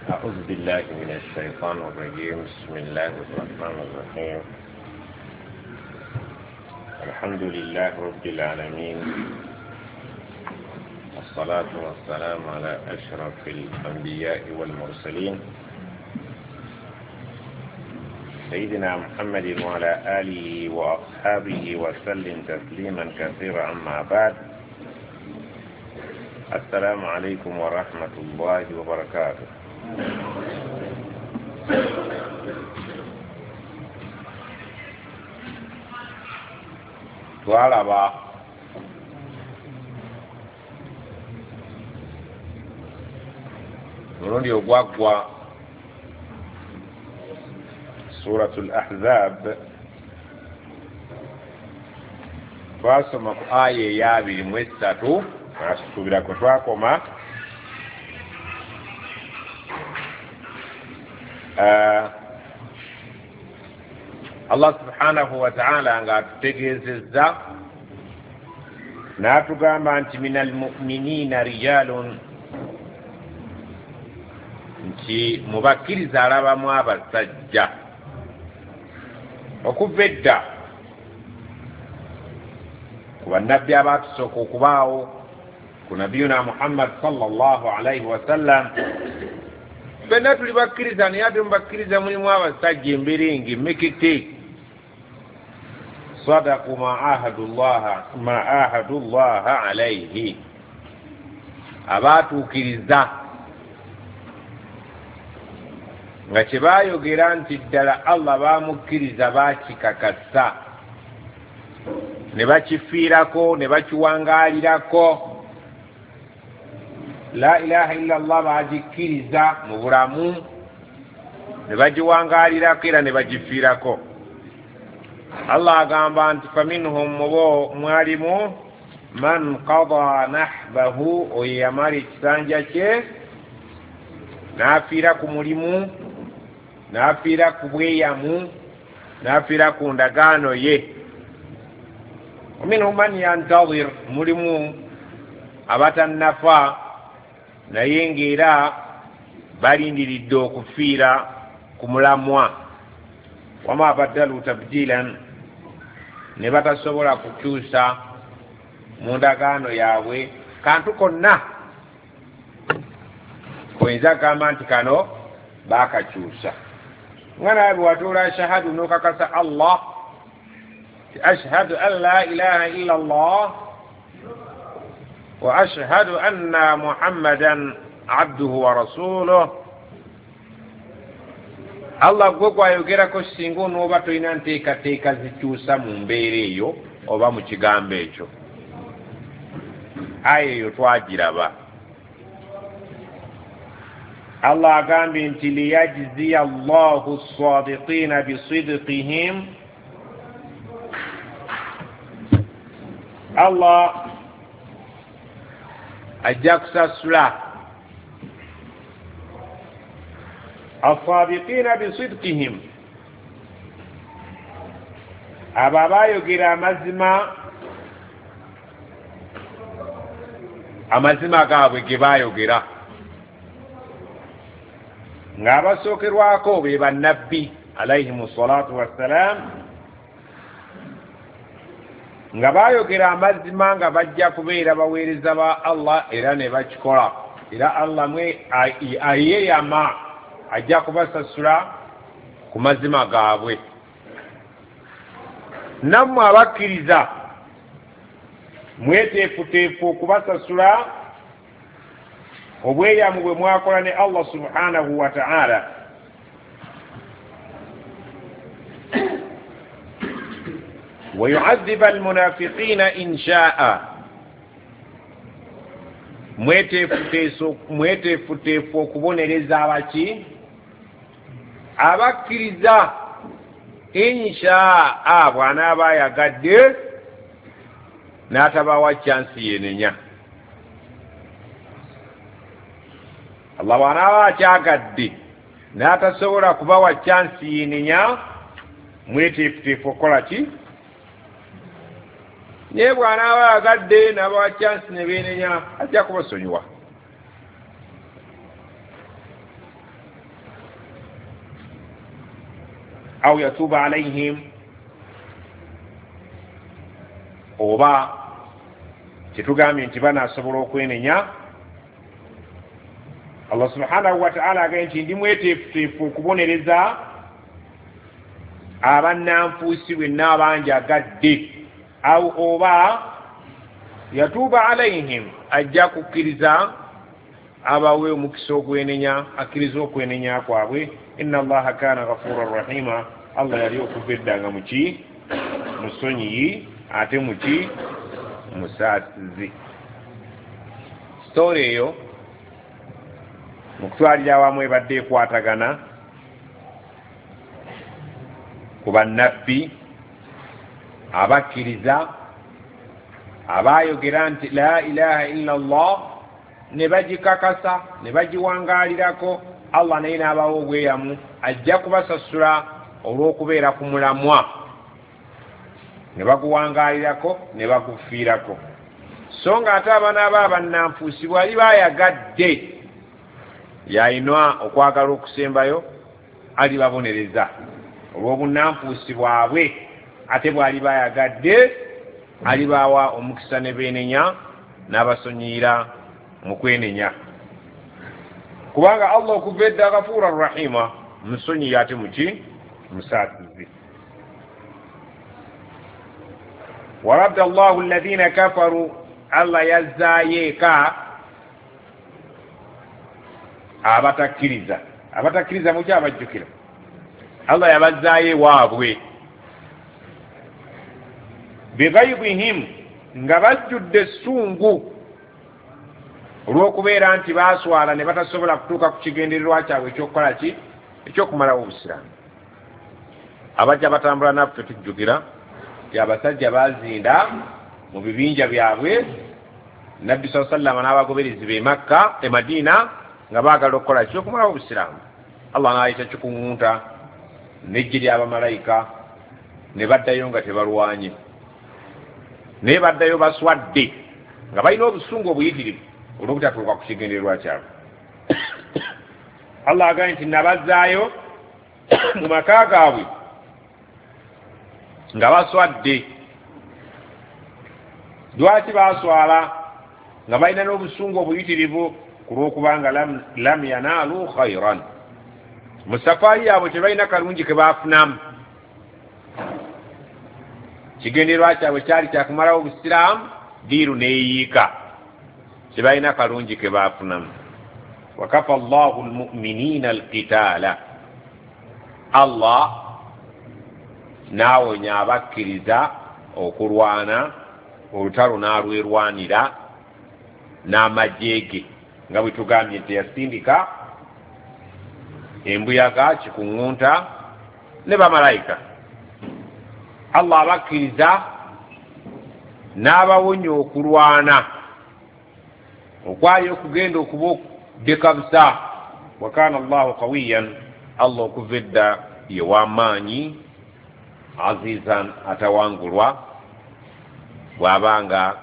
أعوذ بالله من الشيطان الرجيم. بسم الله الرحمن الرحيم. الحمد لله رب العالمين، والصلاة والسلام على أشرف الأنبياء والمرسلين، سيدنا محمد وعلى آله وأصحابه وسلم تسليما كثيرا. أما بعد، السلام عليكم ورحمة الله وبركاته. Twalaba mulundi ogwaggwa Suratul Ahzab, twasoma ku aya eya 23, asuubira kwe twakoma. Allah subhanahu wa ta'ala ng'atutegeezezza n'atugamba nti minal mu'minina rijalun, nti mu bakkiriza alabamu abasajja okuva edda ku bannabbi abaatusooka okubaawo ku nabiyuna Muhammad sallallahu alaihi wasallam. Ffenna tuli bakkiriza, naye ate mu bakkiriza mulimu abasajja emberenge mekete, sadaku ma ahadullaha alaihi, abaatuukiriza nga kye baayogera nti ddala Allah baamukkiriza, baakikakasa ne bakifiirako ne bakiwangaalirako. La ilaha illa Allah bagikkiriza mu bulamu ne bagiwangaalirako era ne bagifiirako. Allah agamba nti faminhum, mubo mwalimu man qada nahbahu, oyo yamala ekisanja kye n'afiira ku mulimu, n'afiira ku bweyamu, n'afiira ku ndagaano ye. Waminhum man yantazir, mulimu abatannafa naye ng'era balindiridde okufiira ku mulamwa. Wama baddalu tabdilan, ne batasobola kukyusa mu ndagaano yaabwe kantu konna koyinza kugamba nti kano baakakyusa. Nga nawe bwe watuula shahadu n'okakasa Allah ti ashhadu an la ilaha illa Allah wa ashhadu anna Muhammadan abduhu wa rasuluh, Allah gwe gwayogerako singa onooba tolina nteekateeka zikyusa mu mbeera eyo oba mu kigambo ekyo. Aya eyo twagiraba. Allah agambye nti liyajziya Allahu ssadiqiina bisidqihim, Allah ajja kusasula asadiqiina bisidqihim, abo abaayogera amazima, amazima gaabwe ge baayogera, ng'abasookerwako be bannabbi alayhimu salatu wassalam, nga baayogera amazima nga bajja kubeera baweereza ba Allah era ne bakikola, era Allah mwe ayeyama ajja kubasasula ku mazima gaabwe. Nammwe abakkiriza mweteefuteefu okubasasula obweyamu bwe mwakola ne Allah subhanahu wa ta'ala. Wa yu'adhiba almunafiqina in sha'a, mweteefuteefu okubonereza abaki abakkiriza insha'a, bw'anaaba ayagadde n'atabawa chansi yenenya. Allah bw'anaaba akyagadde n'atasobola kubawa chansi yenenya, mweteefuteefu okukola ki? Naye bw'anaaba ayagadde n'abawa chansi ne beenenya, ajja kubasonyiwa. Au yatuuba alaihim, oba kyetugambye nti banaasobola okwenenya. Allah subhanahu wataala agambye nti ndi mweteefuteefu okubonereza abannanfuusi bwenna abanjagadde. Au oba yatuuba alaihim, ajja kukkiriza abawe omukisa ogwenenya, akkiriza okwenenya kwabwe. Inna allaha kana ghafuran rahima, Allah yali okuva edda nga muki musonyiyi ate muki musaasizi. Sitoori eyo mu kutwalira awamu ebadde ekwatagana ku bannabbi abakkiriza abaayogera nti la ilaha illa allah, ne bagikakasa ne bagiwangaalirako. Allah naye n'abawa obweyamu ajja kubasasula olw'okubeera ku mulamwa, ne baguwangaalirako ne bagufiirako. So nga ate abanaaba abannanfuusi bwali bayagadde yayina okwagala okusembayo, alibabonereza olw'obunnanfuusi bwabwe, ate bwali bayagadde alibawa omukisa ne beenenya n'abasonyiyira mu kwenenya, kubanga Allah okuva edda ghafuura rahima, musonyiyi ate muki musaasizi. Waradda allahu alladhina kafaru, Allah yazzaayo eka abatakkiriza. Abatakkiriza muki abajjukira, Allah yabazzaayo ewaabwe bighaidhihim, nga bajjudde essungu olw'okubeera nti baaswala ne batasobola kutuuka ku kigendererwa kyabwe ekyokukola ki, ekyokumalawo obusiraamu. Abajja batambula naffe tujjukira nti abasajja baazinda mu bibinja byabwe Nabbi saa sallama n'abagoberezi be Makka e Madiina nga baagala okukola ki, okumalawo obusiraamu. Allah n'ayita kikuŋŋunta n'eggye ly'abamalayika ne baddayo nga tebalwanye, naye baddayo baswadde nga balina obusungu obuyitirivu olw'obutatuuka ku kigendererwa kyabwe. Allah agambye nti nabazzaayo mu maka gaabwe nga baswadde. Lwaki baswala nga balina n'obusungu obuyitirivu? Ku lw'okubanga lam yanaalu khairan, mu safaari yaabwe tebalina kalungi ke baafunamu. Kigendererwa kyabwe kyali kyakumalawo obusiraamu, diiru neeyiika, tebalina kalungi ke baafunamu. Wakafa allahu almuminina alqitaala, Allah n'awonya abakkiriza okulwana olutalo n'alwerwanira n'amagye ge, nga bwe tugambye nti yasindika embuyaga kikuŋŋunta ne bamalayika. Allah abakkiriza n'abawonya okulwana okwali okugenda okuba okudekabusa. Wa kana allahu qawiyan, Allah okuva edda ye w'amaanyi, azizan, atawangulwa bw'abanga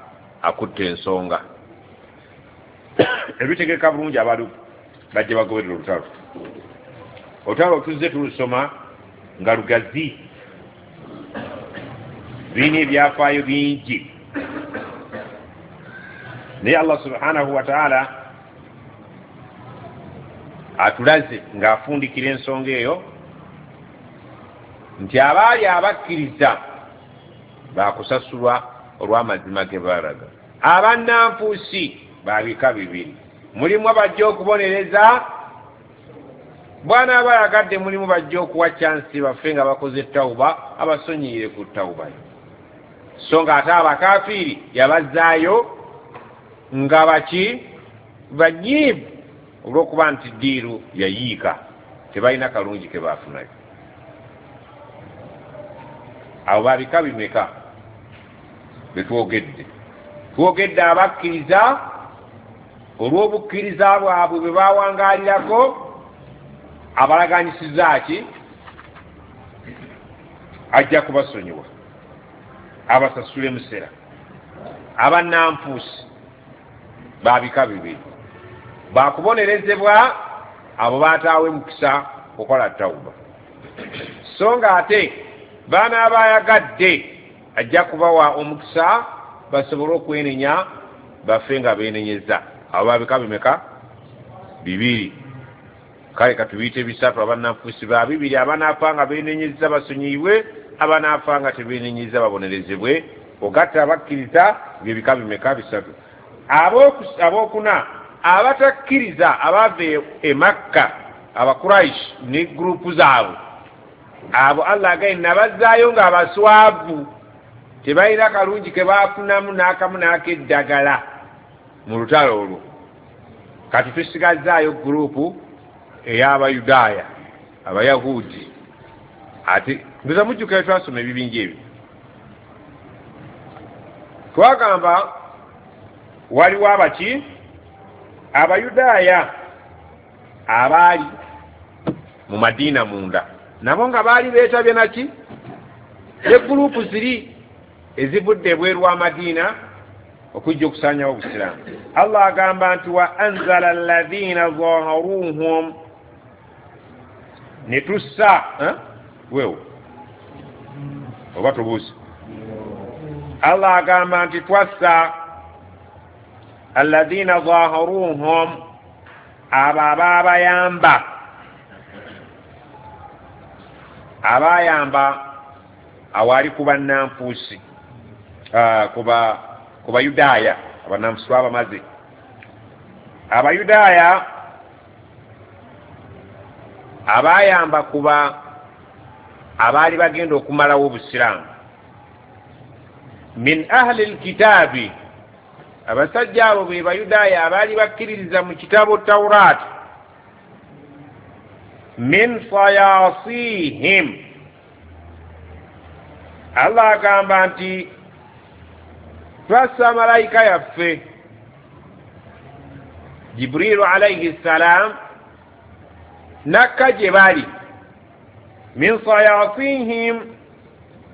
akutte ensonga. Ebitegeka bulungi abantu bajja bagoberera olutalo. Olutalo tuzze tulusoma nga lugazi, birina ebyafaayo bingi, naye Allah subhanahu wataala atulaze ng'afundikira ensonga eyo nti abaali abakkiriza bakusasulwa olw'amazima ge baalaga. Abannanfuusi babika bibiri, mulimu abajja okubonereza bw'anaaba ayagadde, mulimu bajja okuwa kyansi baffe nga bakoze tawuba, abasonyiyire ku tawubayo. So nga ate abakafiiri yabazzaayo nga baki banyiivu olw'okuba nti ddiiru yayiika, tebalina kalungi ke baafunayo. Abo babika bimeka betwogedde? Twogedde abakkiriza olw'obukkiriza bwabwe bwe bawangaalirako, abalaganyisiza ki ajja kubasonyiwa abasasule musera. Abannanfuusi babika bibiri, bakubonerezebwa abo bataawe mukisa kukola tawuba. So nga ate banaabayagadde ajja kubawa omukisa basobole okwenenya, bafe nga beenenyeza. Abo babika bimeka? Bibiri. Kale katubiyite bisatu. Abannanfuusi ba bibiri, abanaafa nga beenenyeza basonyiyibwe, abanaafa nga tebeenenyeza babonerezebwe. Ogatta abakkiriza byebika bimeka? Bisatu. Abookuna abatakkiriza abava e Makka, Abakuraish ne gurupu zaabwe, abo Allah agaye nabazzaayo nga abaswavu, tebalina kalungi ke baafunamu n'akamu n'akeddagala mu lutalo olwo. Kati tusigazaayo gurupu ey'Abayudaaya, Abayahudi. Ate ndoza mujjukira twasoma ebibinja ebyo, twagamba waliwo abaki? Abayudaaya abaali mu Madiina munda, nabo nga baali beetabye naki ne gurupu ziri ezivudde ebweru wa Madiina okujja okusaanyawo Obusiraamu. Allah agamba nti wa anzala alladhina zaharuhum, ne tussa weewo oba tubuuse. Allah agamba nti twassa alladhina zaharuhum, abo abaabayamba, abayamba awali ku bannanfuusi, ku Bayudaaya. Abannanfuusi babamaze. Abayudaaya abayamba kuba abaali bagenda okumalawo Obusiraamu. Min ahli lkitaabi, abasajja abo be Bayudaaya abaali bakkiririza mu kitabo Tauraati. Min sayasihim, Allah agamba nti twassa malayika yaffe Jibriilu alayhi ssalam nakka gye bali. Min sayasihim,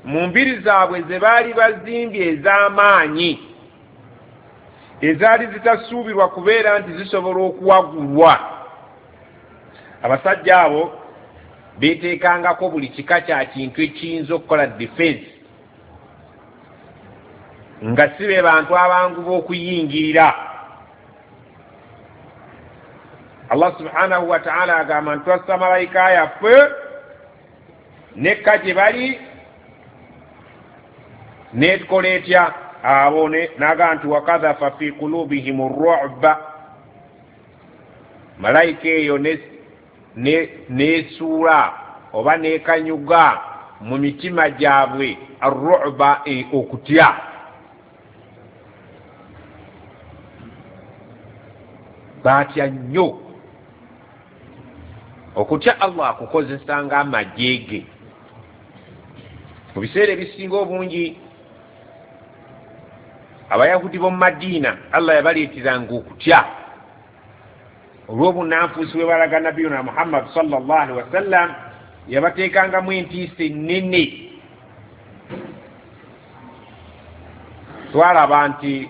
mu mbiri zaabwe ze baali bazimbye ez'amaanyi, ezaali zitasuubirwa kubeera nti zisobola okuwagulwa. Abasajja abo beeteekangako buli kika kya kintu ekiyinza okukola defense, nga si be bantu abangu b'okuyingirira. Allah subhanahu wa ta'ala agamba nti twassa malayika yaffe nekka gye bali netukola etya abo, n'agamba nti wakadhafa fi kulubihim ruba, malayika eyo nesuula oba nekanyuga mu mitima gyabwe arruba, okutya. Baatya nnyo. Okutya Allah akukozesa ng'amagye ge. Mu biseera ebisinga obungi Abayahudi b'omu Madiina Allah yabaleeteranga okutya olw'obunnanfuusi bwe balaga Nabiyuna Muhammad sallallahu alaihi wasallam, yabateekangamu entiisa ennene. Twalaba nti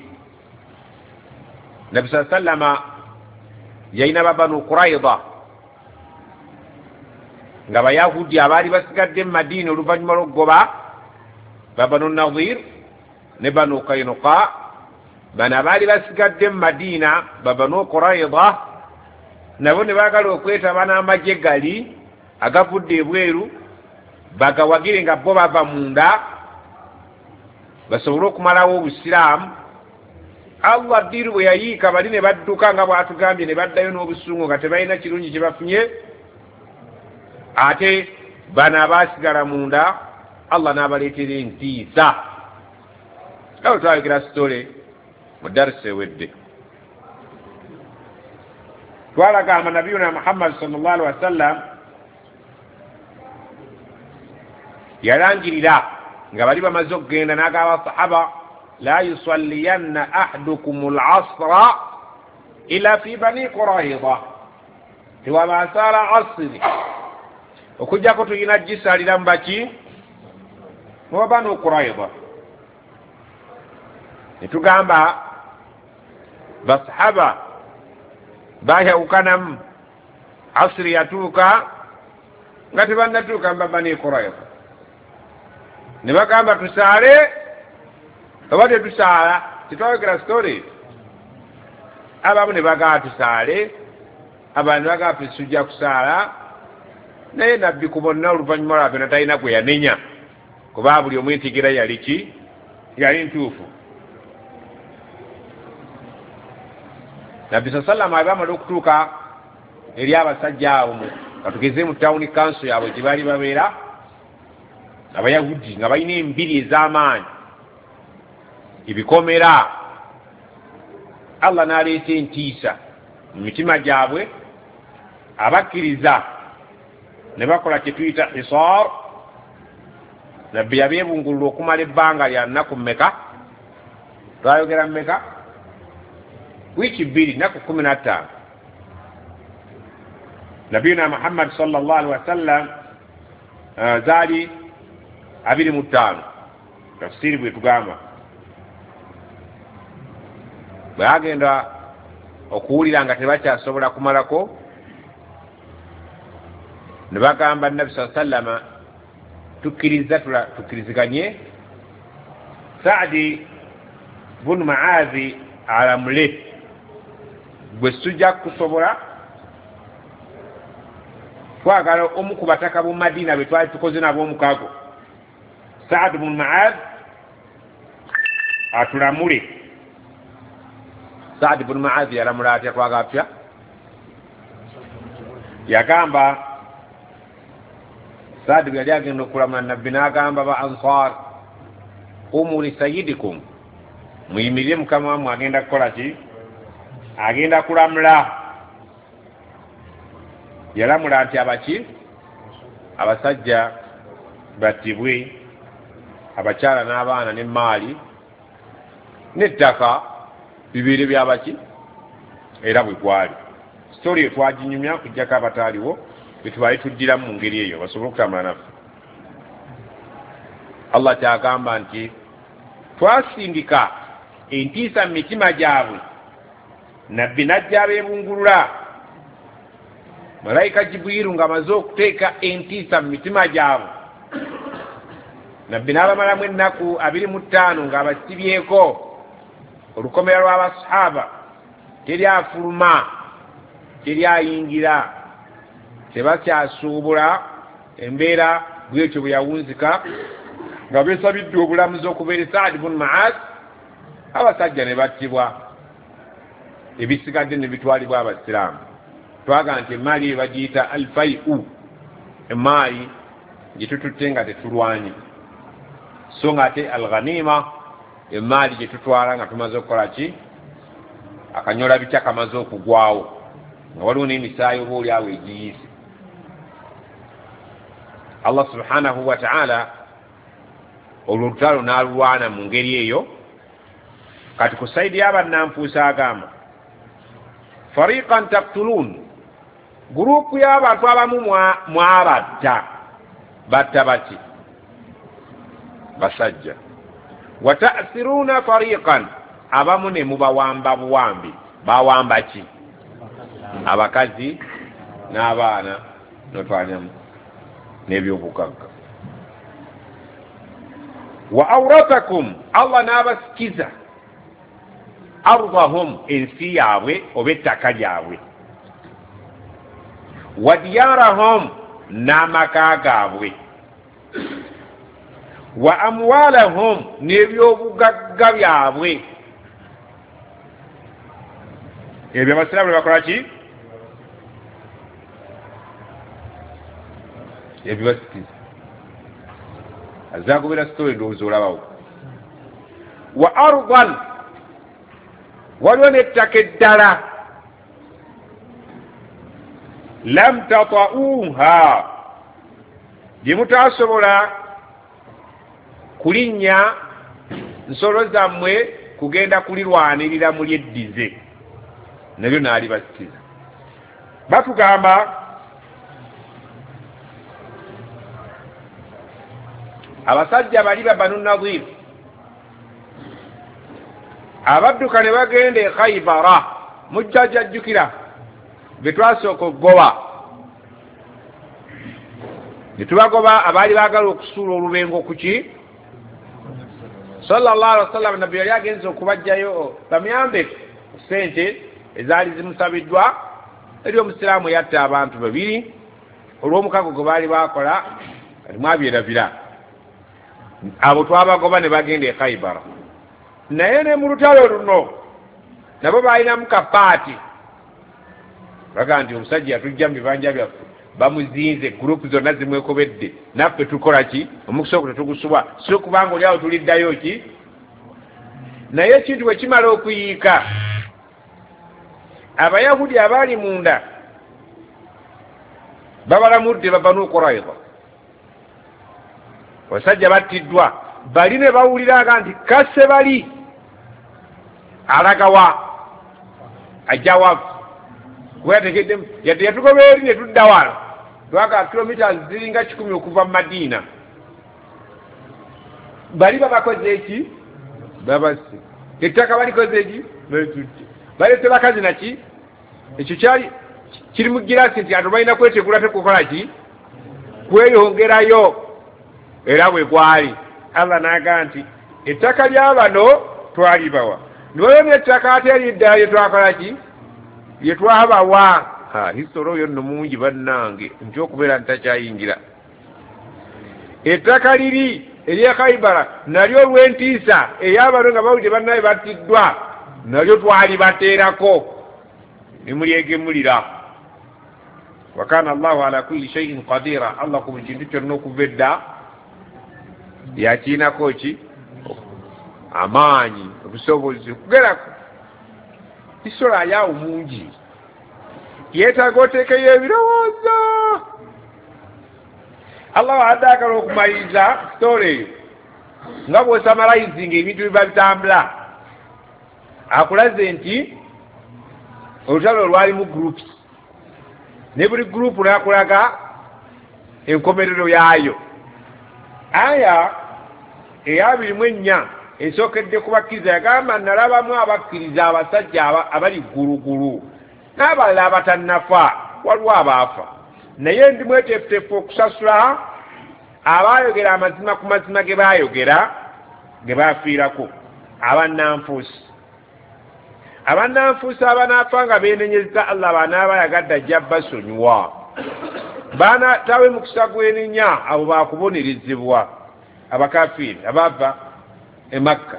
Nabbi saa sallama yalina Babanu Quraida nga Bayahudi abaali basigadde mu Madiina oluvannyuma lw'okugoba Babanu Nadir ne Banu Kainuka. Bano abaali basigadde mu Madiina Babanu Quraida nabo ne baagala okwetaba n'amagye gali agavudde ebweru bagawagire nga bo bava munda basobole okumalawo Obusiraamu. Allah ddiiru bwe yayiika bali ne badduka nga bw'atugambye, ne baddayo n'obusungu nga tebalina kirungi kye bafunye. Ate bano abaasigala munda Allah n'abaleetera entiisa. Awo twayogera sitole mu darisa ewedde, twalagamba Nabiyuna Muhammad sallallahu alaihi wasallam yalangirira nga bali bamaze okugenda, n'agamba sahaba la yusalliyanna ahadukum al-asra illa fi Bani Qurayza, tewaba asaala asiri okujjako tulina gisalira mu baki, mu Banu Qurayza. Ne tugamba basahaba bayawukanamu, asiri yatuuka Nga tebannatuuka mu Bani Qurayza, ne bagamba tusaale oba tetusaala. Tetwayogera story. Abamu ne bagamba tusaale, abalala ne bagamba tujja kusaala. Naye Nabbi ku bonna oluvannyuma lwa byonna talina gwe yanenya, kuba buli omu entegeera yali ki? Yali ntuufu. Nabbi sallama bamala okutuuka eri abasajja abo, katugeze mu town council yaabwe gye baali babeera, Abayahudi nga balina embiri ez'amaanyi, ebikomera. Allah n'aleeta entiisa mu mitima gyabwe, abakkiriza ne bakola kye tuyita hisar. Nabbi yabeebungulula okumala ebbanga lya nnaku mmeka? Twayogera mmeka? Wiiki 2, nnaku 15. Nabiyuna Muhammad sallallahu alaihi wasallam zaali 25, tafsiri bwe tugamba. Bwe agenda okuwulira nga tebakyasobola kumalako, ne bagamba Nabbi sallallahu alaihi wasallam, tukkiriza, tukkiriziganye Saadi bunu Muazi alamule, gwe sujja kusobola, twagala omu ku bataka b'omu Madina be twali tukoze nabo omukago, Saadi bunu Muaz atulamule. Saadi bunu Muaz yalamula atya? Twagala tutya? Yagamba Saadi bwe yali agenda okulamula Nabbi n'agamba ba Ansar, qumu li sayyidikum, muyimirire mukama wammwe agenda kukola ki? Agenda kulamula. Yalamula nti abaki? Abasajja battibwe, abakyala n'abaana n'emmaali n'ettaka bibeere byabaki? Era bwe gwali. Sitori eyo twaginyumya kujjako abataaliwo, betubale tuddiramu mu ngeri eyo basobole okutambula naffe. Allah kyagamba nti twasindika entiisa mu mitima gyabwe, Nabbi n'ajja abeebungulula. Malayika Jibriilu ng'amaze okuteeka entiisa mu mitima gyabwe, Nabbi n'abamalamu ennaku 25 ng'abasibyeko olukomera lw'abasahaba, teri afuluma, teri ayingira, tebakyasuubula. Embeera bwetyo bwe yawunzika nga beesabiddwa obulamuzi okuva eri Saadi bunu Muaz, abasajja ne battibwa, ebisigadde ne bitwalibwa Abasiraamu. Twagamba nti emaali eyo bagiyita alfaiu, emaali gye tututte nga tetulwanye, so nga ate alghanima emaali gye tutwala nga tumaze okukola ki? Akanyola bitya kamaze okugwawo, nga waliwo n'emisaayi oba oli awo egiyiise. Allah subhanahu wa ta'ala olwo olutalo n'alulwana mu ngeri eyo. Kati ku saidi y'abannanfuusa agamba fariqan taqtulun, gurupu y'abantu abamu mwabatta. Batta baki? Basajja. Wa ta'siruna fariqan, abamu ne mubawamba buwambi. Bawamba ki? Abakazi n'abaana n'otwaliramu n'ebyobugagga. Wa awratakum, Allah n'abasikiza ardahum, ensi yaabwe oba ettaka lyabwe, wa diyarahum, n'amaka gaabwe, wa amwalahum, n'ebyobugagga byabwe. Ebyo Abasiraamu ne bakola ki? Ebibasikiza. Azagobera story ndowooza olabawo. Wa ardan, waliwo n'ettaka eddala, lam tata'uha, gye mutasobola kulinnya nsolo zammwe kugenda kulirwanirira mulyeddize, nabyo n'alibasikiza. Batugamba abasajja bali ba Banu Nadir abadduka ne bagenda e Khaibara, mujjajjukira be twasooka okugoba. Ne tubagoba abaali baagala okusuula olubengo ku ki sallallahu alaihi wasallam. Nabbi yali agenze okubajjayo bamuyambe sente ezaali zimusabiddwa eri omusiraamu yatta abantu babiri olw'omukago gwe baali bakola, kati mwabyerabira. Abo twabagoba ne bagenda e Khaibara. Naye ne mu lutalo luno nabo balinamu kapaati, baga nti omusajja yatujja mu bibanja byaffe, bamuzinze, gurupu zonna zimwekobedde, naffe tukola ki? Omukisa ogwo tetugusubwa, si kubanga oli awo tuliddayo ki. Naye ekintu bwe kimala okuyiika, Abayahudi abaali munda babalamudde Babanu Quraida, abasajja battiddwa, bali ne bawuliraga nti kase bali alagawa ajja wafu, kuba yategeddemu yadde yatugoba eri ne tudda wano, twagala kilomita ziringa 100 okuva mu Madiina. Bali babakoze eki? Babasi ettaka balikoze eki? Balitutte, balese bakazi naki. Ekyo kyali kiri mu girasi nti ate balina kwetegula tekukola ki, kweyongerayo. Era bwe gwali Allah n'agamba nti ettaka lya bano twalibawa, niwaliwo n'ettaka ate eriddala lye twakola ki, lye twabawa. History oyo nno mungi bannange, nti okubeera ntakyayingira. Ettaka liri ery'e Khaibara nalyo olw'entiisa ey'abano nga bawulidde bannaye battiddwa, nalyo twalibateerako ne mulyegemulira. Wa kana Allahu ala kulli shay'in qadira, Allah ku buli kintu kyonna okuva edda yakiinako ki amaanyi, obusobozi okugerako. History ayawo mungi, yeetaaga oteekeyo ebirowoozo. Allah wadde agala okumaliriza story eyo nga bw'osamalizinga ebintu biba bitambula, akulaze nti olutalo lwalimu groups, ne buli group n'akulaga enkomerero yaayo. Aya eya 24 esookedde ku bakkiriza yagamba, nalabamu abakkiriza abasajja abali ggulugulu n'abalala abatannafa, waliwo abaafa, naye ndi mweteefuteefu okusasula abaayogera amazima ku mazima ge baayogera ge baafiirako. Abannanfuusi, abannanfuusi abanaafa nga beenenyezza Allah banaaba yagadde ajja basonyiwa, baana tawe mukisa gwenenya, abo bakubonerezebwa. Abakafiiri abava e Makka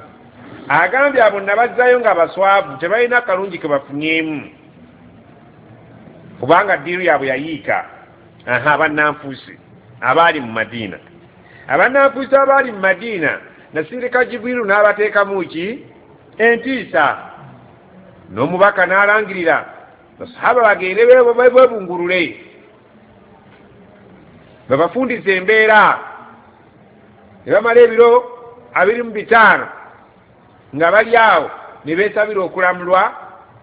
agambye abo nabazzayo nga baswavu, tebalina kalungi ke bafunyeemu, kubanga ddiiru yaabwe yayiika. Abannanfuusi abaali mu Madiina, abannanfuusi abaali mu Madiina nasindika Jibriilu n'abateekamu ki entiisa, n'omubaka n'alangirira basahaba bagende beebungulule babafundize embeera. Ne bamala ebiro 25 nga bali awo ne beesabira okulamulwa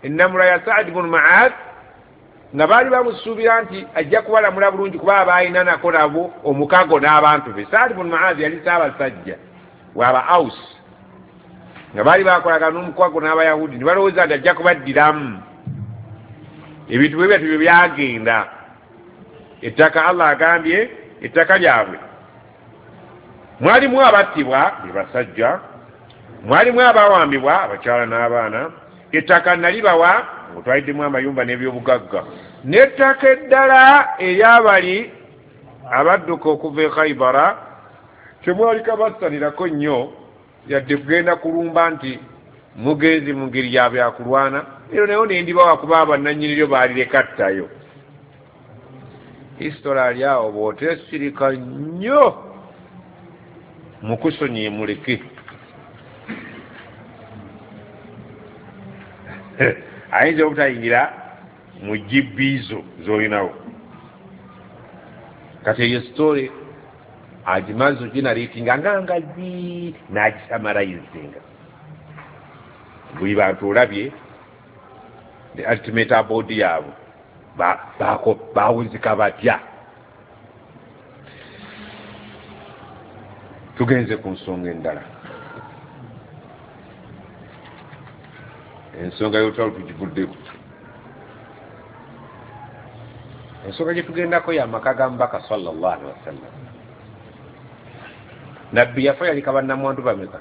ennamula ya Saadi bunu Maad, nga baali bamusuubira nti ajja kubalamula bulungi kuba abaalina nako nabo omukago n'abantu be. Saadi bunu Maad yali ssaabasajja waba Aus, nga baali bakolagana n'omukago n'Abayahudi, ne balowooza nti ajja kubaddiramu. Ebintu bwe byatyo bye byagenda. Ettaka Allah agambye ettaka lyabwe mwalimu abattibwa be basajja, mwalimu abawambibwa abakyala n'abaana. Ettaka nalibawa ng'otwaliddemu amayumba n'ebyobugagga, n'ettaka eddala eryabali abadduka okuva e Khaibara temwali kabassanirako nnyo yadde kugenda kulumba nti mugenzi mu ngeri ya byakulwana, ero nayo nendibawa kuba abannannyiniryo baalireka ttayo. History ali awo bw'oteesirika nnyo mukusonyiye muleke. Ayinza obutayingira mu gibiizo z'olinawo. Kati eyo story agimaze oginariitinga nga ngazi n'agisamarayizinga buli bantu olabye the ultimate abode yaabwe bawuzika batya. Tugenze ku nsonga endala, ensonga y'olutalo tugivuddeko. Ensonga gye tugendako y'amaka ga Mubaka sallallahu alaihi wasallam. Nabbi yafa yaleka bannamwandu bameka?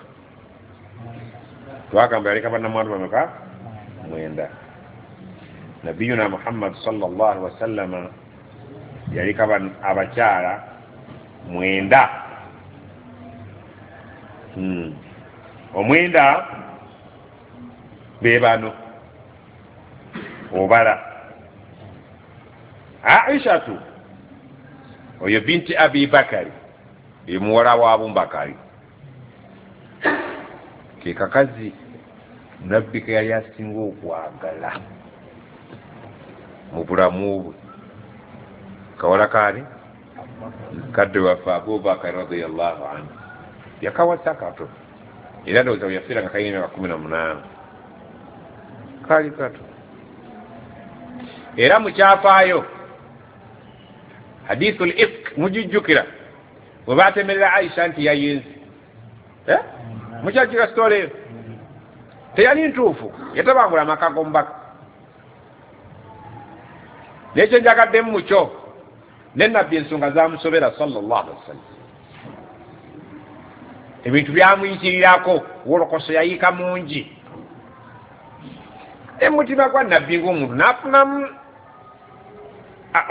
Twagamba yaleka bannamwandu bameka? 9. Nabiyuna Muhammad sallallahu alaihi wasallam yaleka abakyala 9. 9 be bano obala Aishatu oyo binti Abi Bakari, muwala wa Abubakari, ke kakazi Nabbi ke yali asinga okwagala mu bulamu bwe. Kawala kaani? Kadde waffe Abubakari radiyallahu anhu yakawasa kato, era ndowooza bwe yafiira nga kalina emyaka 18, kaali kato. Era mu kyafaayo hadithul ifk mujijjukira bwe baatemerera Aisha nti yayenze. Mukyajjukira sitole eyo? Teyali ntuufu, yatabangula amaka g'omubaka. Naye kye njagaddemu mukyo, ne Nabbi ensonga zamusobera sallallahu alaihi wasallam, ebintu byamuyitirirako, wolokoso yayiika mungi. Emutima gwa Nabbi ng'omuntu n'afunamu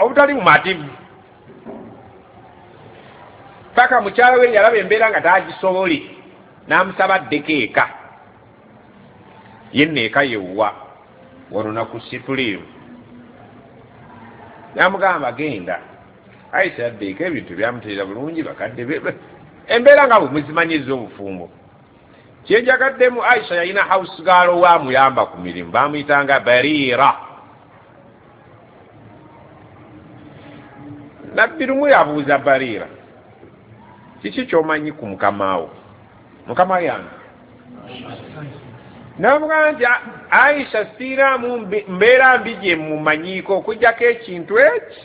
obutali bumativu, paka mukyala we yalaba embeera nga tagisobole, n'amusaba addeko eka. Yenna eka yewwa wano nakusituliimu, n'amugamba genda. Aisha yadda eka, ebintu byamuteera bulungi, bakadde be embeera nga bwe muzimanyiza obufumbo. Kyenjagaddemu, Aisha yalina house girl owamuyamba ku mirimu, bamuyitanga Barira. Nabbi lumu yabuuza Barira, kiki ky'omanyi ku mukamaawo? Mukama yange n'amugamba nti Aisha siiraamu mbeera mbi gye mumanyiiko okuggyako ekintu eki,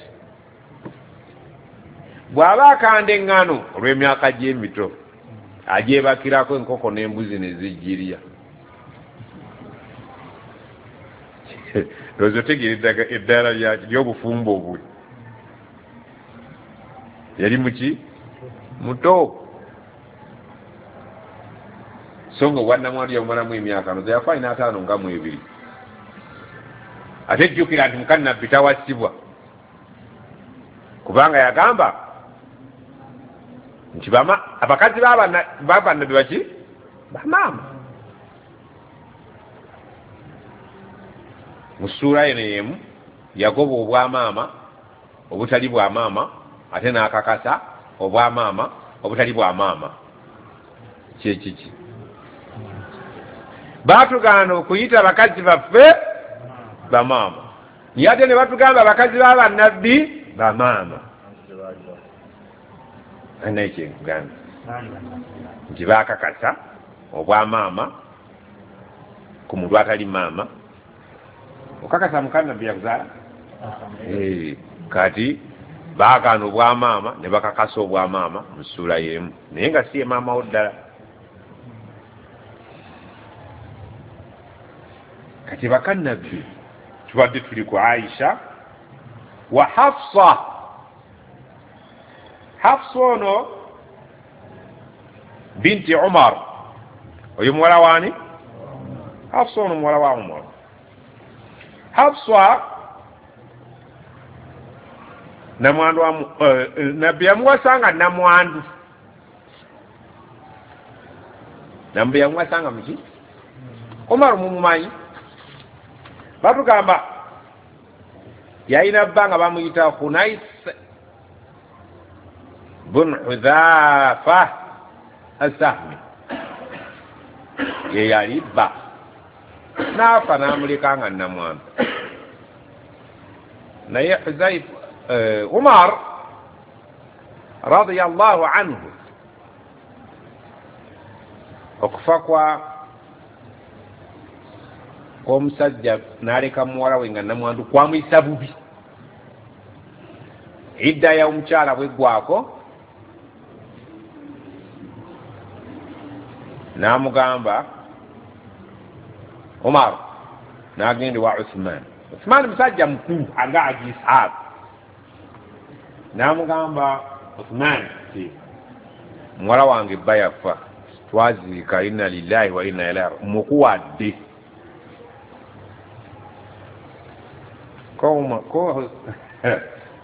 bw'aba akanda eŋŋano olw'emyaka gy'emito agyebakirako enkoko n'embuzi ne zijjirya. Ndowooza otegeera eddaala ly'obufumbo bwe. Yali muki? Muto. So nga obwannamwandu yabumalamu emyaka ndowooza yafa alina 52. Ate jjukira nti muka Nabbi tawasibwa, kubanga yagamba nti abakazi b'abannabbi baki? Bamaama. Mu ssuula eno y'emu yagoba obwamaama obutali bwa maama, ate n'akakasa obwamaama obutali bwa maama. Kyekiki? Baatugaana okuyita abakazi baffe bamaama, naye ate ne batugamba abakazi b'abannabbi bamaama. Naye kyenkugamba nti baakakasa obwamaama ku muntu atali maama. Okakasa muka Nabbi yakuzaala? Kati baagaana obwamaama ne bakakasa obwamaama mu ssuula y'emu, naye nga si ye maama wo ddala. Kati baka Nabbi tubadde tuli ku Aisha wa Hafsa. Hafsa ono binti Umar, oyo muwala waani? Hafsa ono muwala wa Umar. Hafsa namwandu wa Nabbi yamuwasanga namwandu. Nabbi yamuwasanga muki? Umar mumumanyi? Batugamba yalina bba nga bamuyita Khunais bun Hudhafa Asahmi, ye yali bba, n'afa n'amuleka nga namwandu. Naye Umar radiyallahu anhu okufa kwa omusajja n'aleka muwala we nga namwandu kwamuyisa bubi. Idda ya omukyala bweggwako n'amugamba Umar, n'agenda ewa Uthman. Uthman musajja mukulu nga Haji Ishaq, N'amugamba Uthman nti muwala wange bba yafa, twaziika, inna lillahi wa inna ilaihi, mukuwadde.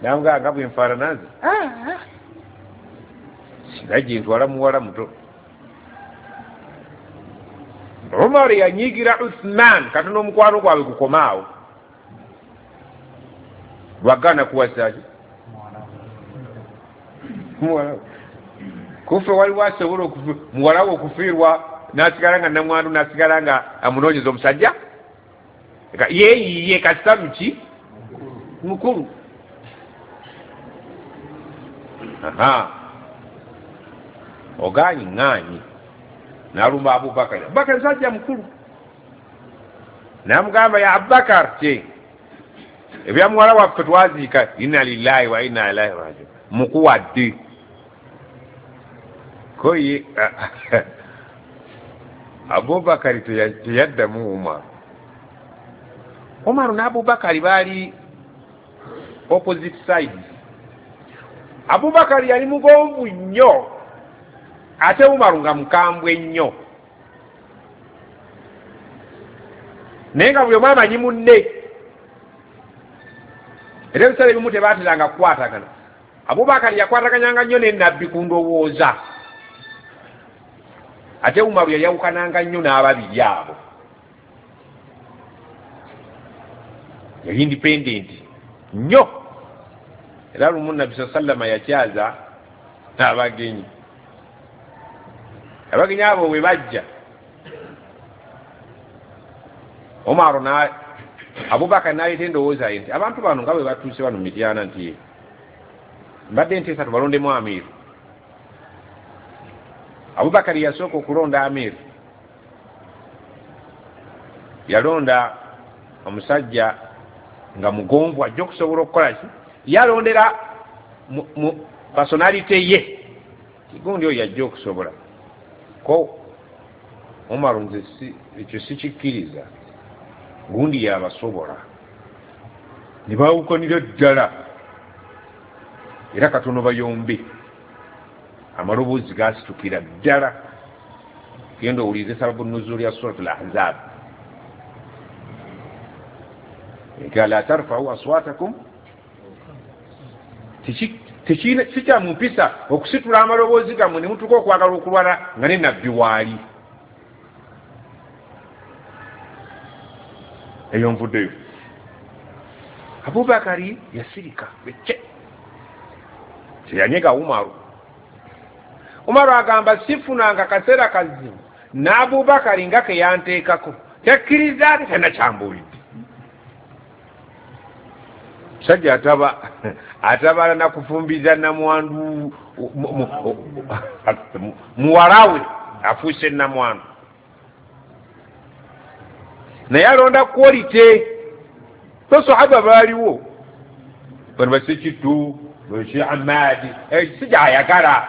Namugamba nga bwenfaanana nze singa gye ntwala muwala muto. Umar yanyiigira Uthman katono omukwano gwabwe gukomaawo, lwagaana kuwasaki muwala. Kufe waliwo asobola muwala we okufiirwa n'asigala nga namwandu, n'asigala nga amunoonyeza omusajja yeeyiye kasita muki mukulu. Aha, ogaanyi ŋŋaanyi. N'alumba Abubakari. Abubakari musajja mukulu, n'amugamba ya Abubakar, kye ebya muwala waffe twaziika, inna lillahi wa inna ilaihi rajiun, mukuwadde. Ko ye Abubakari teyaddamu Umar. Umaru n'Abubakari baali opposite sides. Abubakari yali mugonvu nnyo, ate Umaru nga mukambwe nnyo, naye nga buli omu amanyi munne. Era ebiseera ebimu tebaateranga kukwatagana. Abubakari yakwataganyanga nnyo ne Nabbi ku ndowooza, ate Umaru yayawukananga nnyo n'ababiri abo. Yali independent nnyo. Era lumu Nabbi sallama yakyaza abagenyi. Abagenyi abo bwe bajja, Umaru na Abubakari n'aleeta endowooza ye nti abantu bano nga bwe batuuse bano Mityana, nti mbadde nteesa tubalondemu amiiru. Abubakari yasooka okulonda amiiru. Yalonda omusajja nga mugonvu ajja okusobola okukola ki, yalondera mu personality ye, kigundi oyo yajja okusobola. Ko Umaru nze ekyo sikikkiriza, gundi yabasobola. Ne baawukanira ddala, era katono bayombe, amaloboozi gasitukira ddala. Genda owulirize sababu nuzuli ya Suratul Ahzab, nti la tarfau aswatakum, sikya mu mpisa okusitula amaloboozi gammwe ne mutuuka okwagala okulwana nga ne Nabbi waali. Eyo nvuddeyo. Abubakari yasirika bece, teyanyega Umaru. Umaru agamba sifunanga kaseera kazibu n'Abubakari nga ke yanteekako, tekkiriza ate talina kyambuulidde. Musajja atabala nakufumbiza namwandu, muwala we afuuse namwandu, naye alonda quality. Basahaba baaliwo bano basekitu basi Amadi, sijja ayagala,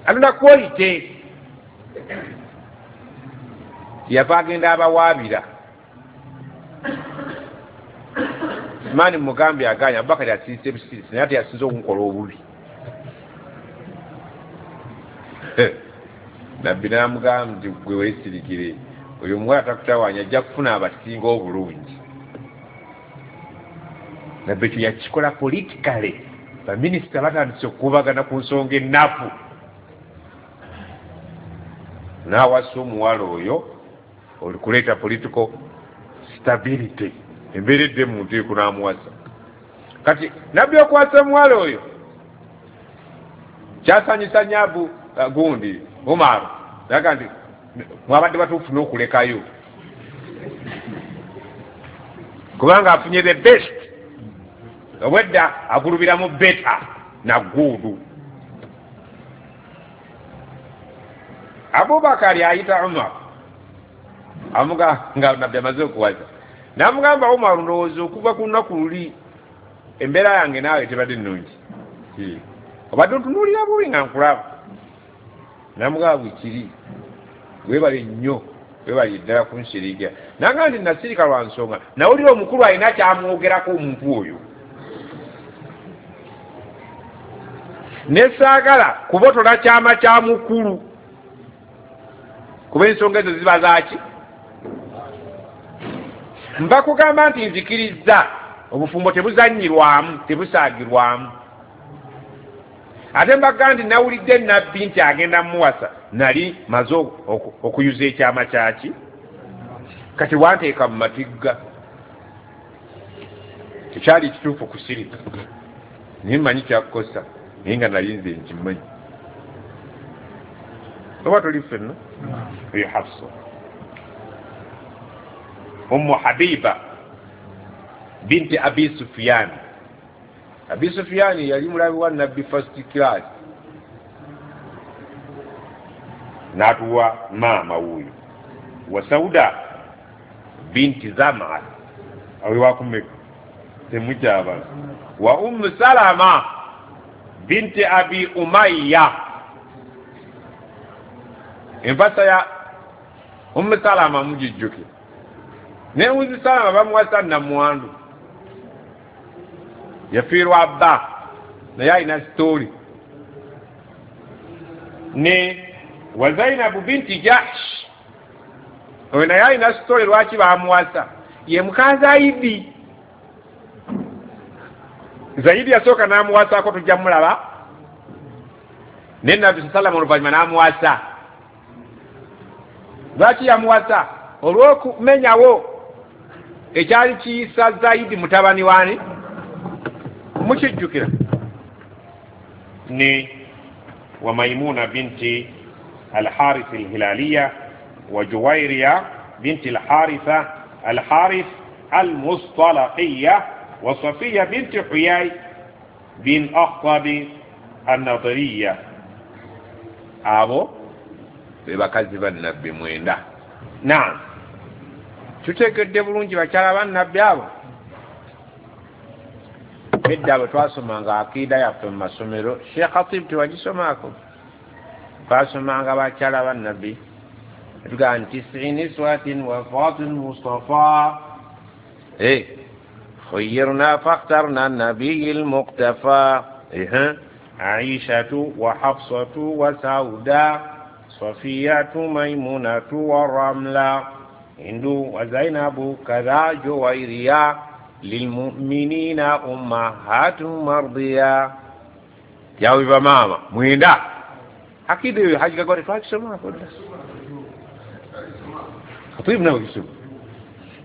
alonda quality. Yava agenda abawaabira. Mani mugambye aganya, Abubakari asirise busirisi, naye ate yasinze okunkola obubi. Nabbi n'amugamba nti gwe weesirikire, oyo omuwala takutawaanya, ajja kufuna abasinga obulungi. Nabbi ekyo yakikola politically. Baminisita batandise okukubagana ku nsonga ennafu, n'awasa omuwala oyo olikuleeta political stability, embeera edde mu nteeko, n'amuwasa. Kati Nabbi okuwasa omuwala oyo kyasanyusa nnyo gundi Umaru, naga nti mwabadde batuufu n'okulekayo, kubanga afunye the best. Obwedda agulubiramu beta na guudu. Abubakari ayita Umar, amugamba Nabbi amaze okuwasa, n'amugamba Umar, ndowooza okuva ku lunaku luli embeera yange naawe tebadde nnungi, obadde otunuulira bubi nga nkulaba. N'amugamba bwe kiri, weebale nnyo, weebale ddala kunsirikira. Nanga nti nasirika lwa nsonga, nawulira omukulu alina kyamwogerako omuntu oyo. Nesaagala kubotola kyama kya mukulu, kuba ensonga ezo ziba zaaki. Nva kugamba nti nzikiriza obufumbo tebuzannyirwamu, tebusaagirwamu. Ate mbaga nti nawulidde nabbi nti agenda muwasa, nali maze okuyuza ekyama kyaki. Kati wanteeka mu matigga, tekyali kituufu kusirika, naye mmanyi kyakukosa, naye nga nali nze nkimanyi. Oba tuli ffenna? Oyo Hafsa Ummu Habiba binti Abi Sufyan. Abi Sufyan yali mulabi wa nabbi first class, n'atuwa maama wuuyo wa Sauda binti Zama, awe wakumeka temukyabala, wa Ummu Salama binti Abi Umayya. Empasa ya Ummu Salama mugijjuke, ne Ummu Salama bamuwasa namwandu, yafiirwa bba, naye alina sitori. Ne wa Zainabu binti Jahsh, oyo naye alina sitori lwaki bamuwasa, ye muka Zaidi. Zaidi yasooka n'amuwasaako, tujja mulaba, ne Nabbi sallam oluvannyuma n'amuwasa. Lwaki yamuwasa? Olw'okumenyawo ekyali kiyisa Zaidi mutabani wani, mukijjukira. Ne wa Maimuna binti Al-Harith Al-Hilaliya wa Juwairiya binti Al-Haritha Al-Harith Al-Mustalaqiya wa Safiya binti Huyay bin Akhtab An-Nadriya. Abo be bakazi ba nabbi mwenda. Naam, tuteekedde bulungi bakyala ba nabbi abo. Edda bwe twasomanga akiida yaffe mu masomero, Sheikh Khatib tewagisomaako, twasomanga bakyala ba nabbi, tugamba nti tis'i niswatin wafatin Mustafa khayyirna fakhtarna nabiyyi al-muqtafa Aishatu wa Hafsatu wa Sauda Safiyatu Maimunatu wa Ramla Hindu wa Zainabu kadha Juwairiya lilmu'minina ummahatu mardiya. Yawe mama mwenda akida hiyo haji kagore twakisoma kwa Khatib nawe kisoma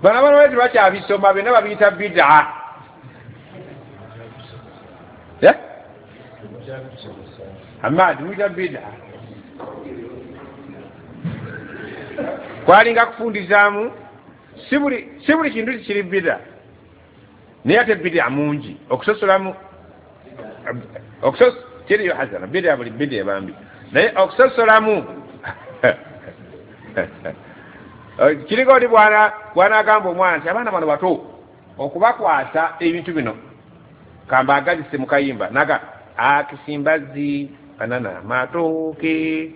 bana bana wetu bakyabisoma byonna babiyita bid'a. Hamad muyita bid'a, kwalinga kufundizaamu si buli kintu kiri bid'a, naye ate bid'a mungi okusosolamu kiriyo hasana bid'a buli bid'a bambi, naye okusosolamu kiriko oli bw'anaagamba omwana nti abaana bano bato okubakwasa ebintu bino kambaagazise mu kayimba naga akisimbazi banana matooke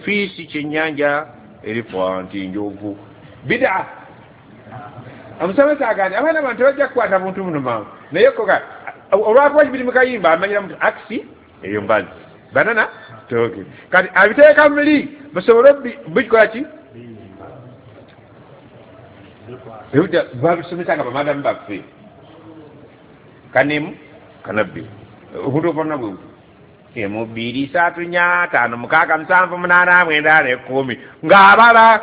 fiisi kyennyanja erifa nti njovu bid'a. Omusomesa agambye abaana bano tebajja kukwata buntu buno mangu, naye koga olwakuba kibiri mu kayimba amanyira muti akisi eyo mbazi banana tooke, kati abiteeka muli basobole bikola ki babisomesa nga bamadamu baffe kanemu kanabbi obuntu obwonna bwe emu 2 3 4 5 6 7 8 9 10 ng'abala,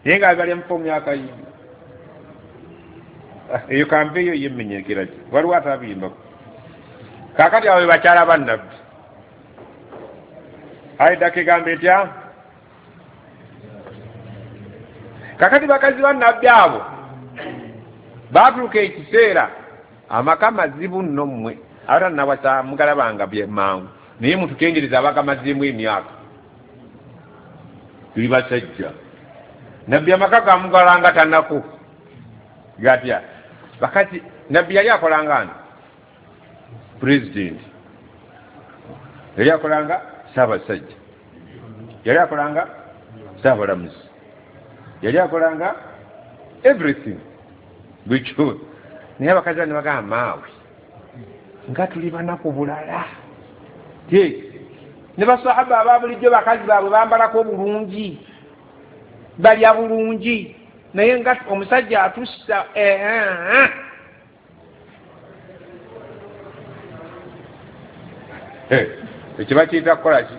naye nga bali mu fomu y'akayimba eyo kampeeyo yemmenyekera ki waliwo atabiyimbako. Kaakati abo be bakyala ba nabbi. Aidako egamba etya? Kaakati bakazi ba nabbi abo baatuuka ekiseera amaka mazibu nno mmwe abatannawasa mugalabanga mangu, naye mututengereza abakamazeemu emyaka, tuli basajja. Nabbi amaka gamugalanga tannako gatya? Bakazi nabbi yali akolanga ani? President yali akolanga ssaabasajja, yali akolanga ssaabalamuzi, yali akolanga everything bwekyo. Naye abakazi bano bagamba maawe Nga tuli banaku bulala. Ne basahaba aba bulijjo bakazi baabwe bambalako bulungi, balya bulungi, naye nga omusajja atussa ekyo bakiyita kukola ki?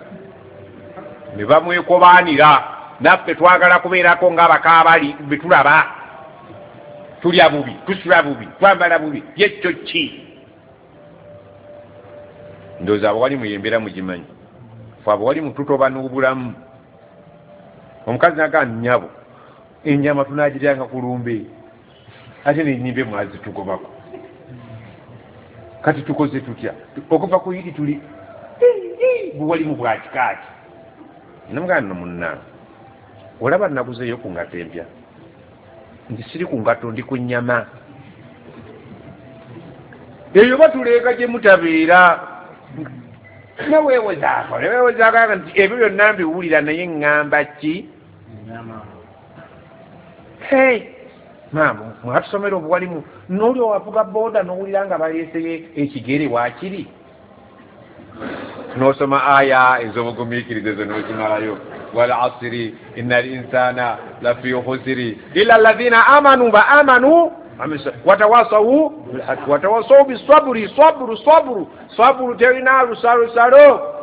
Ne bamwekobaanira, naffe twagala kubeerako ng'abakaabali betulaba, tulya bubi, tusula bubi, twambala bubi, yekyo ki? Ndowooza abawali muyembeera mugimanyi, fe abawali mututoba n'obulamu. Omukazi nagaa nnyabo ennyama tunagiryanga ku lumbe, ate n'ennyimbe mwazitugobako, kati tukoze tutya? Okuva ku yidi tuli buwalimu bwa kikaaki. Namugamba nno munnange, olaba naguzeeyo ku ngatto empya, nti siri ku ngatto ndi ku nnyama. Eyo batuleeka gye mutabeera. Neweewozaako neweewozaako nti ebyo byonna mbiwulira, naye ŋŋamba ki? Maama mwatusomera obuwalimu, n'oli owavuga booda n'owulira nga baleeseyo ekigere waakiri, n'osoma aya ez'obugumiikiriza ezo n'ozimalayo. Wal asiri inna al insana lafi khusri illa alladhina amanu ba amanu watawasawu bilhaqi watawasawu bisabri. Sabru sabru sabru terina lusalosalo.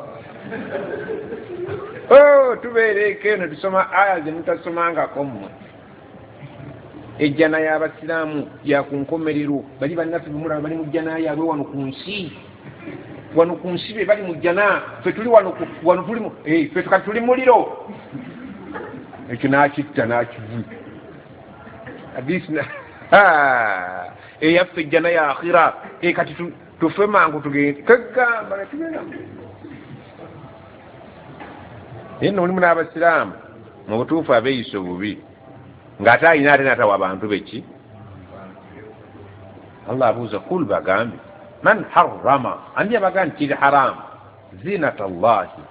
Tubeereko eno tusoma aya ze mutasomangako mmwe. Ejjana y'abasiraamu ya ku nkomerero, bali bannaffe bemulaba bali mu jjana yaabwe wano ku nsi, wano ku nsi be bali mu jjana, ffe tuli wano wano tuli ffe kati tuli muliro. Ekyo n'akitta n'akivu hadisi eyaffe ejjana ya akhira. Kati tufe mangu tugende kagamba netugenda. Naye nno mulimu n'abasiraamu mu butuufu abeeyisa obubi, ng'ate alina ate natawa abantu beki. Allah abuuza, kul bagambe, man harrama, ani abaga nti kiri haramu zinata Allahi,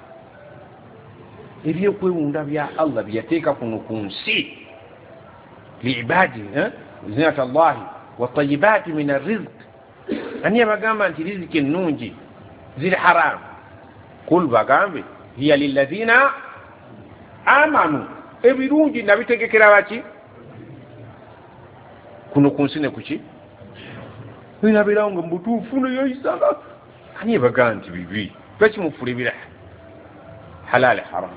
ebyokwewunda bya Allah byeyateeka kuno ku nsi, liibadi zinata Allahi watayibaati min arrizq, ani abagamba nti riziki ennungi ziri haramu? Kul bagambe, hiya lilladhina amanu, ebirungi nabitegekera baki kuno ku nsi ne kuki inabeerawo nga mubutuufu neyoyisanga. Ani ebagaa nti bibi? Lwaki mufuula ebira halali haramu?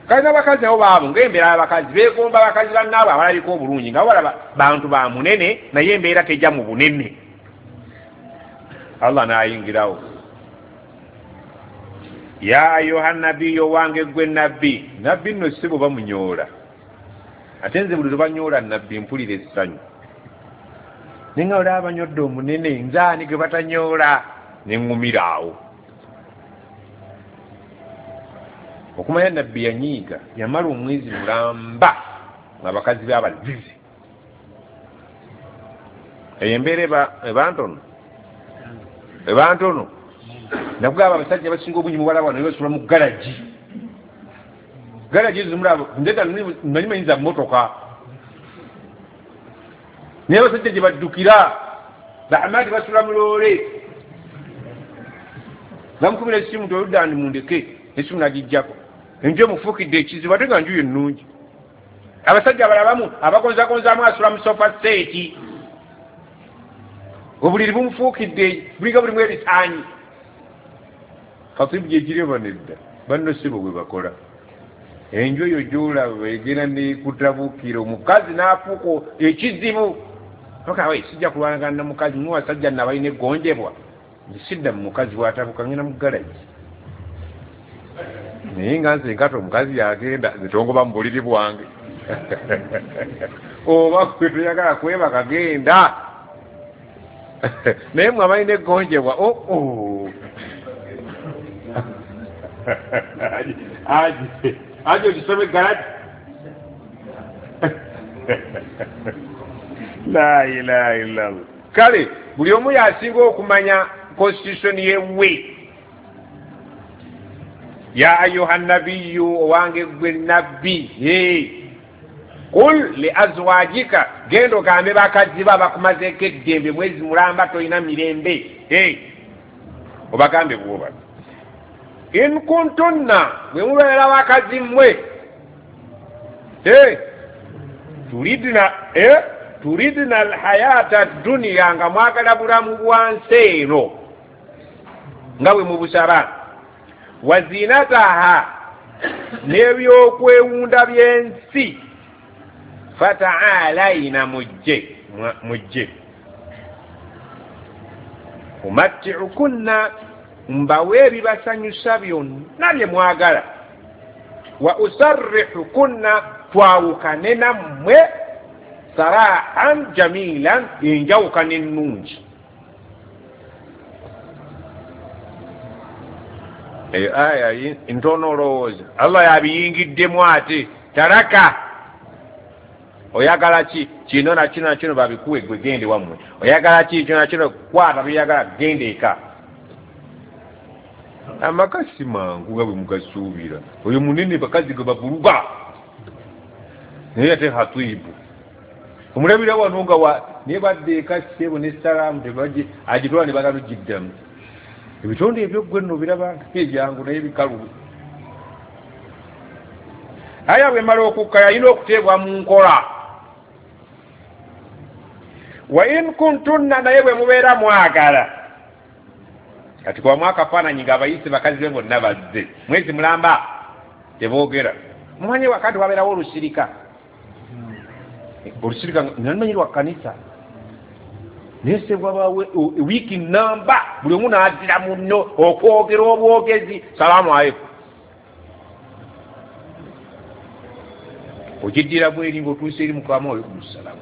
Kale n'abakazi nabo baabo ng'embeera y'abakazi beegomba abakazi bannaabwe abalabika obulungi, nga balaba bantu ba munene, naye embeera tejja mu bunene. Allah n'ayingirawo, ya ayuha nabbiyo, wange gwe nabbi. Nabbi nno si bwe bamunyoola, ate nze buli lwe banyoola nabbi mpulira essanyu, naye nga olaba banyodde omunene, nze ani gwe batanyoola? Ne ŋŋumira awo. Okumanya nabbi yanyiiga, yamala omwezi mulamba ng'abakazi be abazizi. Eyo embeera eba ntono, eba ntono. Nakugamba abasajja basinga obungi mubalaba wano basula mu garagi. Garagi ezo mulaba, nze nali manyiza mmotoka, naye abasajja gye baddukira bahamadi basula mu loole, bamukubira essimu nti oludda ndi mundeke, essimu nagijjako, enju emufuukidde ekizibu, ate nga nju ye nnungi. Abasajja abalabamu abagonzagonzaamu asula mu sofa seeti, obuliri bumufuukidde bulinga bulimu ebisaanyi. Khatibu gyekiri oba nedda? Banno si bo bwe bakola. Enju eyo gy'olaba egenda nekutabukira omukazi n'afuuka ekizibu. Okawe sijja kulwanagana na mukazi, muwe basajja nno abalina eggonjebwa, nze sidda mu mukazi bw'atabuka ngenda mu garagi. Naye nga nze nkata omukazi yagenda, nze tongoba mu buliri bwange. Oba gwe toyagala kwebaka genda. Naye mwe abalina eggonjebwa, oo aje ogisome garagi. La ilaha illallah. Kale buli omu yasinga okumanya constitution yewe. Ya ayuha nabiyyu, owange gwe nabbi, qul li azwajika, genda ogambe bakazi bo abakumazeeko eddembe mwezi mulamba tolina mirembe. Obagambe bwoba in kuntunna, bwe mubeera bakazi mmwe, turidna alhayata duniya, nga mwagala bulamu bwa nsi eno nga bwe mubusaba, wazinataha, n'ebyokwewunda by'ensi, fataalayina, mujje mujje, umattiukunna, mbawe ebibasanyusa byonna bye mwagala, wa usarrihukunna, twawukane nammwe, sarahan jamilan, enjawukana ennungi. Eyo aya ntono olowooza Allah yabiyingiddemu ate taraka. Oyagala ki? Kino na kino na kino babikuwe, gwe gende wammwe. Oyagala ki? Kino na kino, kwata byeyagala, gende eka. Amaka si mangu nga bwe mugasuubira. Oyo munene bakazi gwe bavuluga, naye ate hatibu omulabira wano nga naye badde eka ssebo ne salaamu tebaje agitwala ne bagala ogiddamu. Ebitonde ebyo ggwe nno biraba ebyangu naye bikalu. Aya bwemala okukka yalina okuteebwa mu nkola. Wa in kuntunna, naye bwe mubeera mwagala. Kati kubamu akafaananyi ng'abayise bakazi be bonna bazze mwezi mulamba teboogera. Mumanye wakati wabeerawo olusirika, olusirika namanyi lwa kkanisa, naye se bwabaawo wiiki namba buli omu n'azira munno okwogera obwogezi, salaamu aleikum. Ogiddira bweri ng'otuuse eri mukama, alaikum salaamu,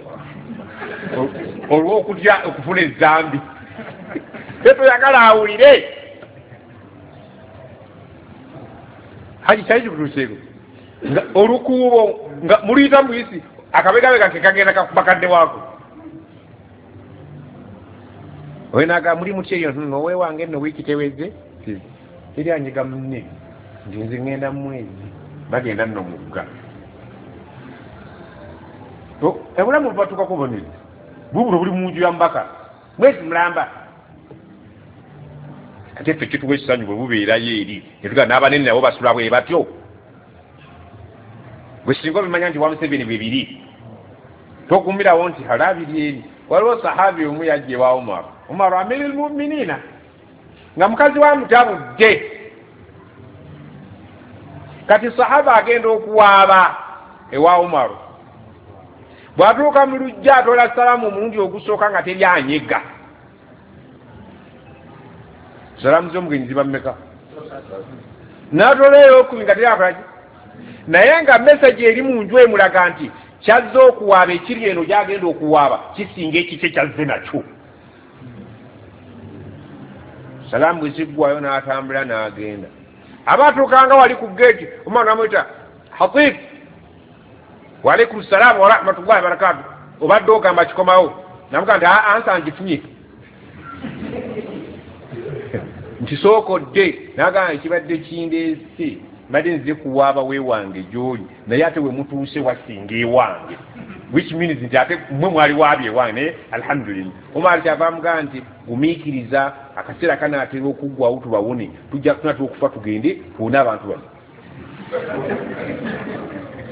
olw'okutya okufuna ezambi tetoyagala awulire. Haji kyali kikutuuseeko nga olukuubo nga muluyita muyisi akabegabega ke kagenda kakuba kadde waako. Oyenaga muli muti eyo owewange nno wiiki teweze teri anyiga munne nti nze ŋŋenda mu mwezi, bagenda nno mugga. Obulamu bubatuukako bonezi bubulo buli mu nju ya mubaka mwezi mulamba. Ate ffe kituwa essanyu bwe bubeerayo eri netugaa n'abanene nabo basula bwe batyo. Bwe singa obimanya nti wa Museveni bwe biri, tokumirawo nti halabiri eri. Waliwo sahabi omu yajja ewa Umar, Umar amiril muminina, nga mukazi wa mutabudde. Kati sahaba agenda okuwaaba ewa Umar, bw'atuuka mu luggya atoola salaamu omulundi ogusooka nga teri anyega. Salaamu z'omugenyi ziba mmeka? N'atoola ey'okubiri nga teri akolaki, naye nga meseji eri mu nju emulaga nti kyazze okuwaaba ekiri eno gy'agenda okuwaaba kisinga ekikye kyazze nakyo. Salaamu bwe ziggwayo n'atambula n'agenda. Aba atuukanga wali ku geeti, Umar n'amuyita Hatib, wa alaikum salaamu wa rahmatullahi wa barakatuh, obadde ogamba kikomawo. Namugaa nti ansa ngifunye nti sookodde. N'agamba ekibadde kindeese mbadde nzize kuwaaba weewange gy'oli, naye ate we mutuuse wasinga ewange, which means nti ate mmwe mwali waabye ewange, naye alhamdulillah. Umar kyava amugamba nti gumiikiriza, akaseera kanaatera okuggwawo tubawone, tujja tunatera okufa tugende tuwone abantu bano.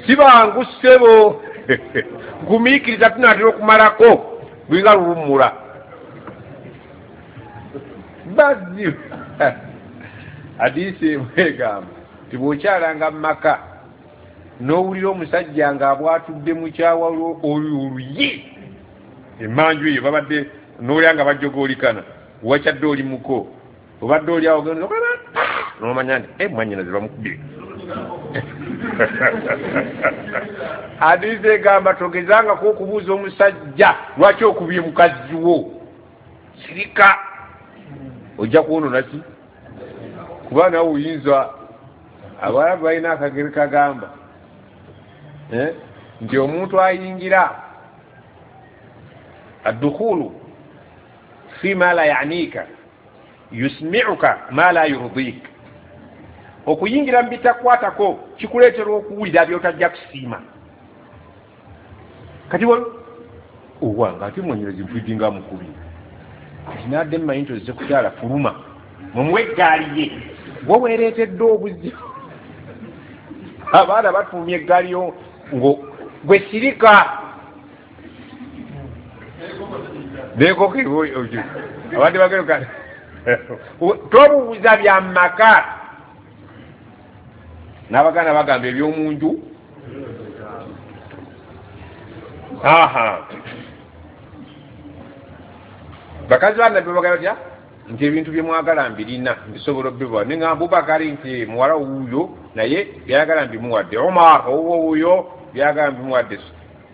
Si bangu ssebo, gumiikiriza tunaatera okumalako lulinga luwummula. Bazibu hadiisi emwegamba nti bw'okyalanga mu maka n'owulira omusajja ng'abwatudde mukyawa oyo oluyi emmanju eyo babadde n'olya nga bajjogoolikana, wakyadde oli muko obadde oli awo ogenda n'omanya nti mwannyinaze bamukubye. Hadiisi egamba togezangako okubuuza omusajja lwaki okubye mukazi wo, sirika ojja kwonoona ki, kuba nawe oyinza. Abawarabu balina akagero kagamba nti omuntu ayingira addukhulu fi ma la yanika yusmi'uka ma la yurdik, okuyingira mu bitakwatako kikuleetera okuwulira by'otajja kusiima. Kati owange ate mwanyinaze mpulidde nga mukubi, kati nadde mmanyi nti ozze kukyala fuluma. Mumuwe eggaali ye. Gwe weereetedde obuzibu. Abaana batuumya eggaali yo gwe sirika. Nenkoko abadde bagenda tobuuza bya maka. N'abaganda bagamba ebyomunju. Aha. Bakazi ba Nabbi bagamba batya nti ebintu bye mwagala mbirina mbisobola obibawa. Nengamba Abubakari nti muwala wuuyo naye byayagala mbimuwadde. Omar owuwo wuuyo byayagala mbimuwadde.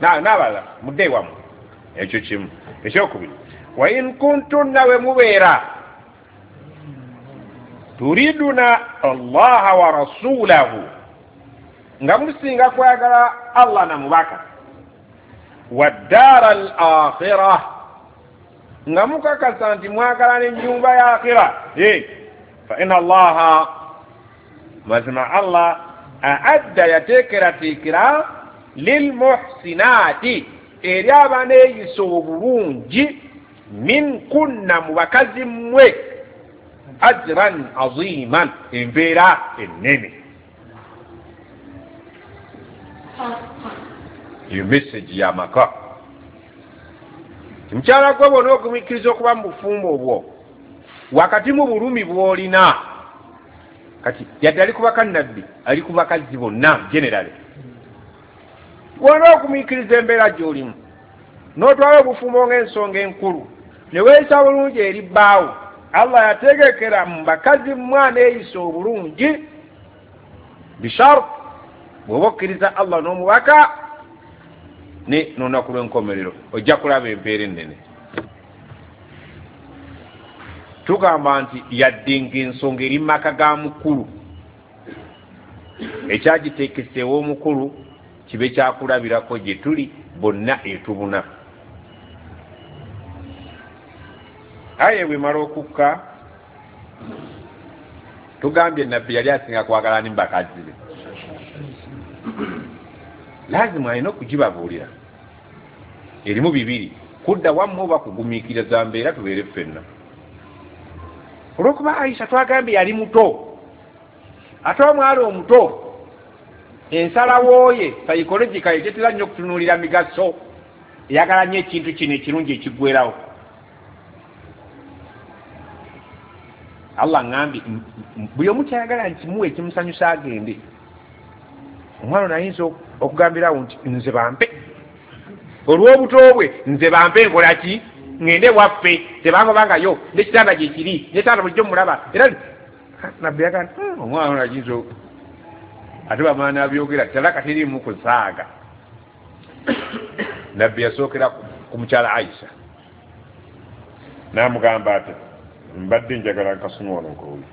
N'abalala mudde ewammwe. Ekyo kimu. Ekyokubiri, wa in kuntunna we mubeera turiduna Allaha wa rasulahu, nga musinga kwagala Allah na mubaka, wa ddaara al akhira, nga mukakasa nti mwagala n'ennyumba ya akhira, fa inna Allaha, mazima Allah aadda yateekerateekera lilmuhsinaati, eri abaneeyisa obulungi, min kunna, mu bakazi mmwe, ajran aziman, empeera ennene. Eyo message y'amaka. Mukyala gwe bw'ona okumikkiriza okuba mu bufumbo obwo wakati mu bulumi bw'olina, kati yadde ali ku bakannabbi, ali ku bakazi bonna generally, bw'ona okumikkiriza embeera gy'olimu n'otwala obufumbo ng'ensonga enkulu ne weeyisa bulungi eri bbaawo, Allah yategekera mu bakazi mwana eyisa obulungi bishart bw'oba okkiriza Allah n'omubaka ne n'olunaku lw'enkomerero, ojja kulaba empeera ennene. Tugamba nti yadde ng'ensonga eri mu maka ga mukulu, ekyagiteekesa ew'omukulu kibe kyakulabirako gye tuli bonna etubuna. Aye bwemala okukka, tugambye Nabbi yali asinga kwagala ni bakazi be, lazima alina okugibabuulira. Erimu bibiri, kudda wammwe oba kugumiikiriza mbeera tubeere ffenna. Olw'okuba Aisha twagambye yali muto, ate omwala omuto ensalawo ye psychological etetera nnyo okutunuulira migaso, eyagala nnyo ekintu kino ekirungi ekiggwerawo. Allah ngambye buli omu kyayagala nkimuwe ekimusanyusa agende. Omwana ono ayinza okugambirawo nti nze bampe olw'obuto bwe, nze bampe nkola ki, ŋŋende waffe tebangobangayo n'ekitanda gye kiri n'ekitanda bulijjo mulaba. Era Nabbi yagamba omwana ono ayinza ate bamala n'abyogera talaka teriimu kusaaga. Nabbi yasookera ku mukyala Aisha n'amugamba ati mbadde njagala nkasoma wano nkooye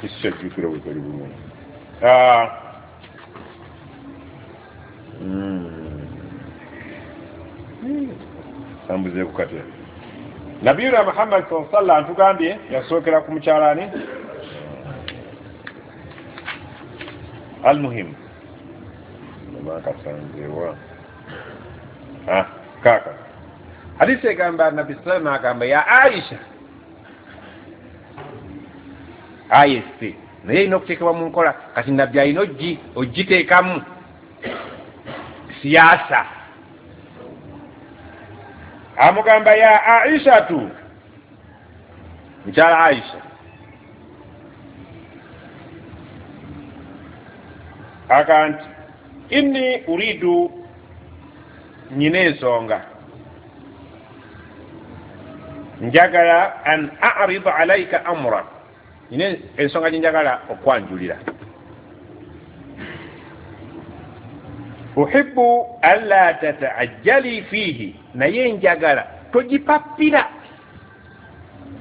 kisajjukira bwe kali bulungi. Sambuzeeku katya. Nabiyuna Muhammad sallallahu alaihi wasallam tugambye yasookera ku mukyala ani almuhimu makasanzewa kaka hadisi egamba Nabbi sallallahu agamba ya Aisha ayese naye erina okuteekebwa mu nkola. Kati Nabbi alina ogiteekamu siyaasa. Amugamba ya Aishatu, mukyala Aisha, aga nti inni uridu, nyina ensonga njagala an a'rida alayka amra, nyina ensonga gye njagala okwanjulira. Uhibbu alla tata'ajjali fihi, naye njagala togipapira,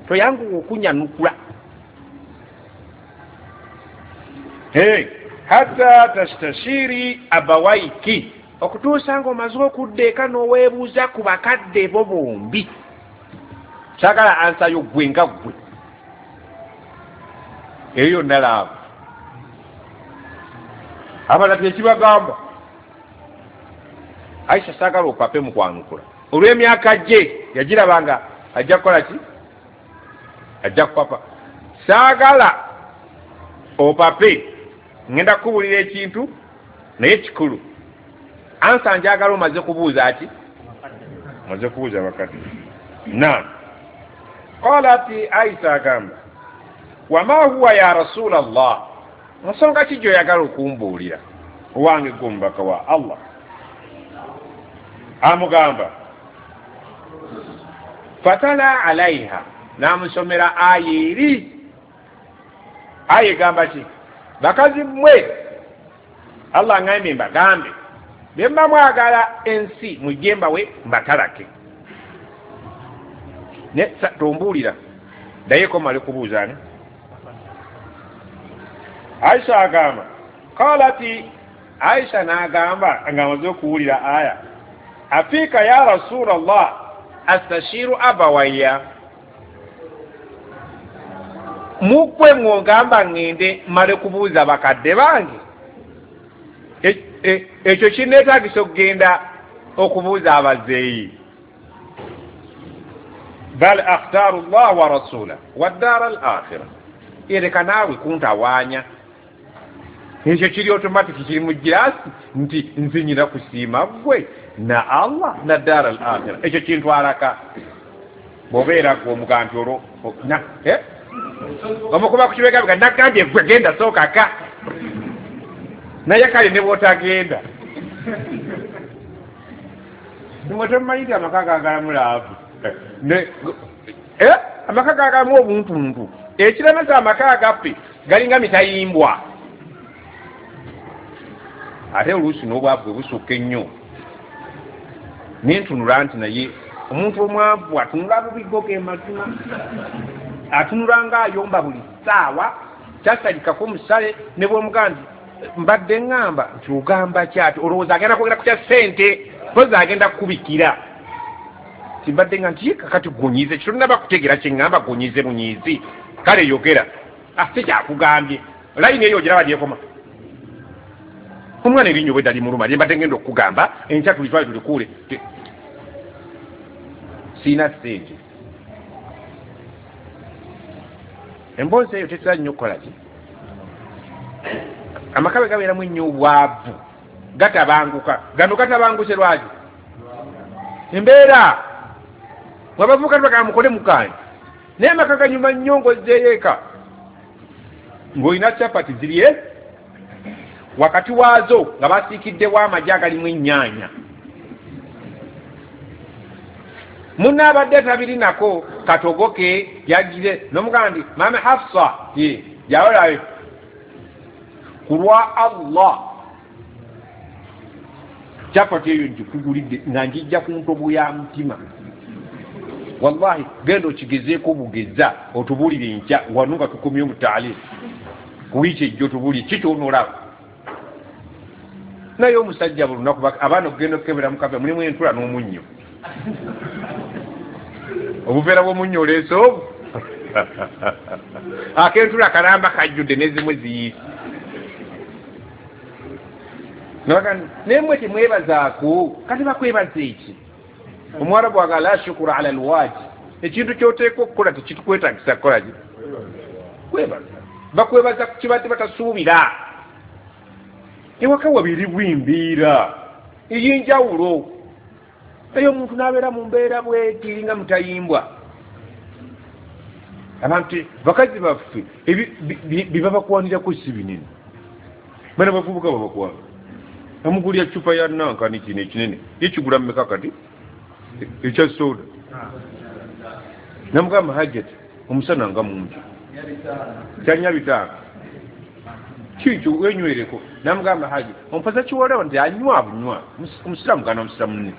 toyanguwa okunyanukula. Hatta tastashiri abawaiki, okutuusa ng'omaze okudda eka n'oweebuuza ku bakadde bo bombi. Kyagala ansayo ggwe nga ggwe, eyo yonna laavu. Abalala tekibagamba. Aisha saagala opape mu kwanukula olw'emyaka gye yagirabanga ajja kukola ki, Ajja kupapa. Saagala opape, ngenda kukubulira ekintu naye kikulu. Ansa njagala omaze kubuuza ki? Omaze kubuuza bakadde. Naam. Qalat Aisha agamba, wama huwa ya Rasulallah, nsonga ki gy'oyagala okumbuulira owange gwe omubaka wa Allah? Amugamba fatala alaiha, n'amusomera aya eri. Aya egamba ki? Bakazi mmwe, Allah ngambye mbagambe, bwe mba mwagala ensi mujje mbawe mbatalake. Ne tombuulira ddayeko mmale kubuuza ani? Aisha agamba qalati, Aisha n'agamba ng'amaze okuwulira aya, afika ya Rasulallah astashiru abawaya, mukwe ng'ogamba ŋŋende mmale kubuuza bakadde bange? Ekyo kinneetaagisa okugenda okubuuza abazeeyi? Bal akhtaru llah wa rasulah wa ddaara al akhira, ereka naawe kuntawaanya. Ekyo kiri automatic, kiri mu girasi nti nze nyina kusiima ggwe na Allah na ddaara al akhira. Ekyo kintwalaka. Bw'obeera ggwe omuga nti olwo omukuba ku kibegabega, nagambye gwe genda sookaka, naye kale ne bw'otagenda mwe tomumanyi nti amaka gaagalamu laavu, amaka gaagalamu obuntuntu. Ekiremesa amaka agaffe galinga mitayimbwa, ate oluusi n'obwavu bwe busukka ennyo. Nentunula nti naye omuntu omwavu atunula bubigo ge mazima, atunula ng'ayomba buli ssaawa, kyasalikako omusale ne bw'omugaa nti mbadde ŋŋamba nti ogamba ki ati olowooza agenda kwogera ku kya ssente, mpozi agenda kukubikira nti mbadde nga nti kakati gunyize kitonaba kutegeera kye ŋŋamba, gunyize bunyizi, kale yogera. Si kyakugambye, layini eyo ogiraba gyekoma. Omwana erinnyo bwedda limuluma lye mbadde ngenda okukugamba enkya tulitwale tulikuule, siina ssente. Emboozi eyo tetera nnyo okukola ki? Amaka bwe gabeeramu ennyo obwavu gatabanguka. Gano gatabanguse lwaki? Embeera mwabavubuka tubagamba mukole mukaanyi, naye amaka ganyuma nnyo ng'ozzeeyo eka ng'olina capati ziri wakati waazo nga basiikiddewo amagi agalimu ennyaanya. Munnaabadde tabirinako katogoke yagire n'omugamba nti maama Hafsa ye yawolayo ku lwa Allah capati eyo ngikugulidde nga njijja ku ntobo ya mutima. Wallahi genda okigezeeko bugeza otubuulire enkya wano nga tukomye mu taalimu ku wiiki ejjo otubuulire ki ky'onoolaba. Naye omusajja buli lunaku abaana okugenda okukebera mu kafe mulimu entula n'omunnyo, obuveera bw'omunnyo oleese obwo ak'entula kalamba kajjudde n'ezimu ziyiise. Naye mmwe temwebazaako, kati bakwebaza eki? Omuwarabu agamba la shukura ala alwaji, ekintu ky'oteekwa okukola tekitukwetaagisa kukola ki? Kwebaza. Bakwebaza ku kibadde batasuubira. Ewaka wabiriwo embeera ey'enjawulo, eyo omuntu n'abeera mu mbeera bweti nga mutayimbwa. Abantu bakazi baffe bye babakwanirako si binene, bana bavubuka babakwana, amugulya cupa ya nankani kino ekinene yekigula mmeka kati ekya soda, namugamba Hajjati omusana nga mungi kyanya 5 kikyo wenywereko. Namugamba Haji ompaza kiwolewo nti anywa bunywa, omusiraamu gana omusiraamu munne,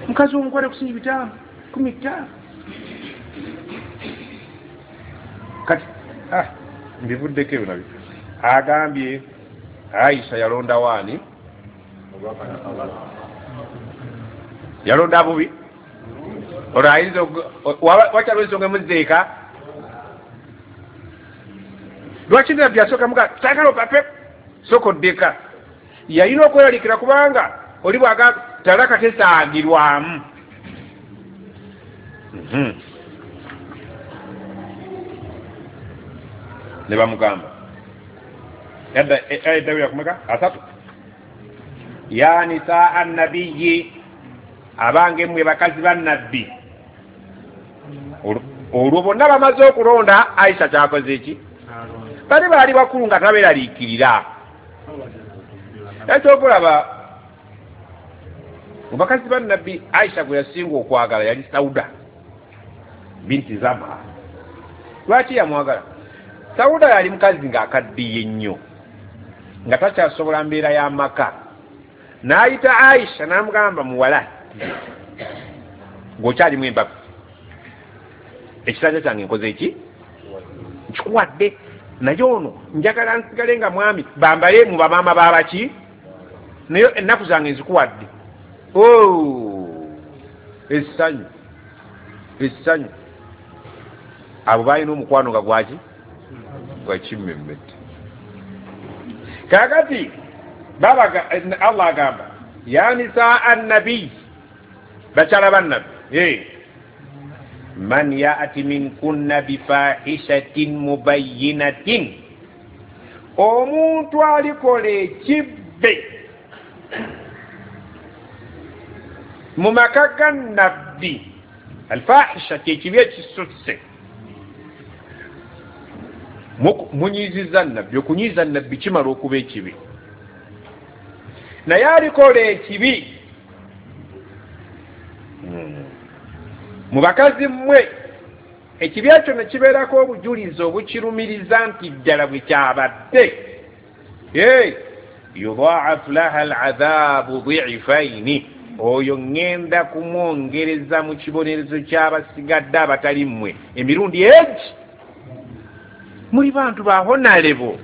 mukazi omukwate kusinga 5 15. Kati mbivuddeko ebyo nabyo. Agambye Aisha yalonda waani? Yalonda bubi? Olwo ayinza wakyaliwo ensonga emuzzeeka? Lwaki nabbi asooka muga saagala opape sooka oddeka? Yalina okweralikira kubanga oli bw'agamba talaka tesaagirwamu. Ne bamugamba edda kumeka asatu, ya nisaa annabiyi, abange mmwe bakazi ba nabbi. Olwo bonna bamaze okulonda Aisha kyakoze eki, bali baali bakulu nga tabeeraliikirira. Ekyokulaba mu bakazi ba nabbi Aisha gwe yasinga okwagala yali Sauda binti Zama. Lwaki yamwagala? Sauda yali mukazi ng'akaddiye nnyo, nga takyasobola mbeera y'amaka. N'ayita Aisha n'amugamba, muwala ng'okyalimu embavu, ekisanja kyange nkoze eki, nkikuwadde, naye ono njagala nsigale nga mwami, bambale mu bamaama babaki, naye ennaku zange nzikuwadde. Essanyu essanyu. Abo balina omukwano nga gwaki, gwakimmemmette. Kaakati babaga Allah agamba ya nisaa annabiy, bakyala bannabbi, man ya'ti minkunna bifahishatin mubayyinatin, omuntu alikola ekibbe mu maka ga nabbi. Alfahisha kyekibi ekisusse, munyiiziza nabbi. Okunyiiza nabbi kimala okuba ekibi, naye alikola ekibi mu bakazi mmwe, ekibi ekyo ne kibeerako obujulizi obukirumiriza nti ddala bwe kyabadde, yudha'af laha al'adhabu dhi'faini, oyo ŋŋenda kumwongereza mu kibonerezo ky'abasigadde abatali mmwe emirundi egi. Muli bantu ba honalebo.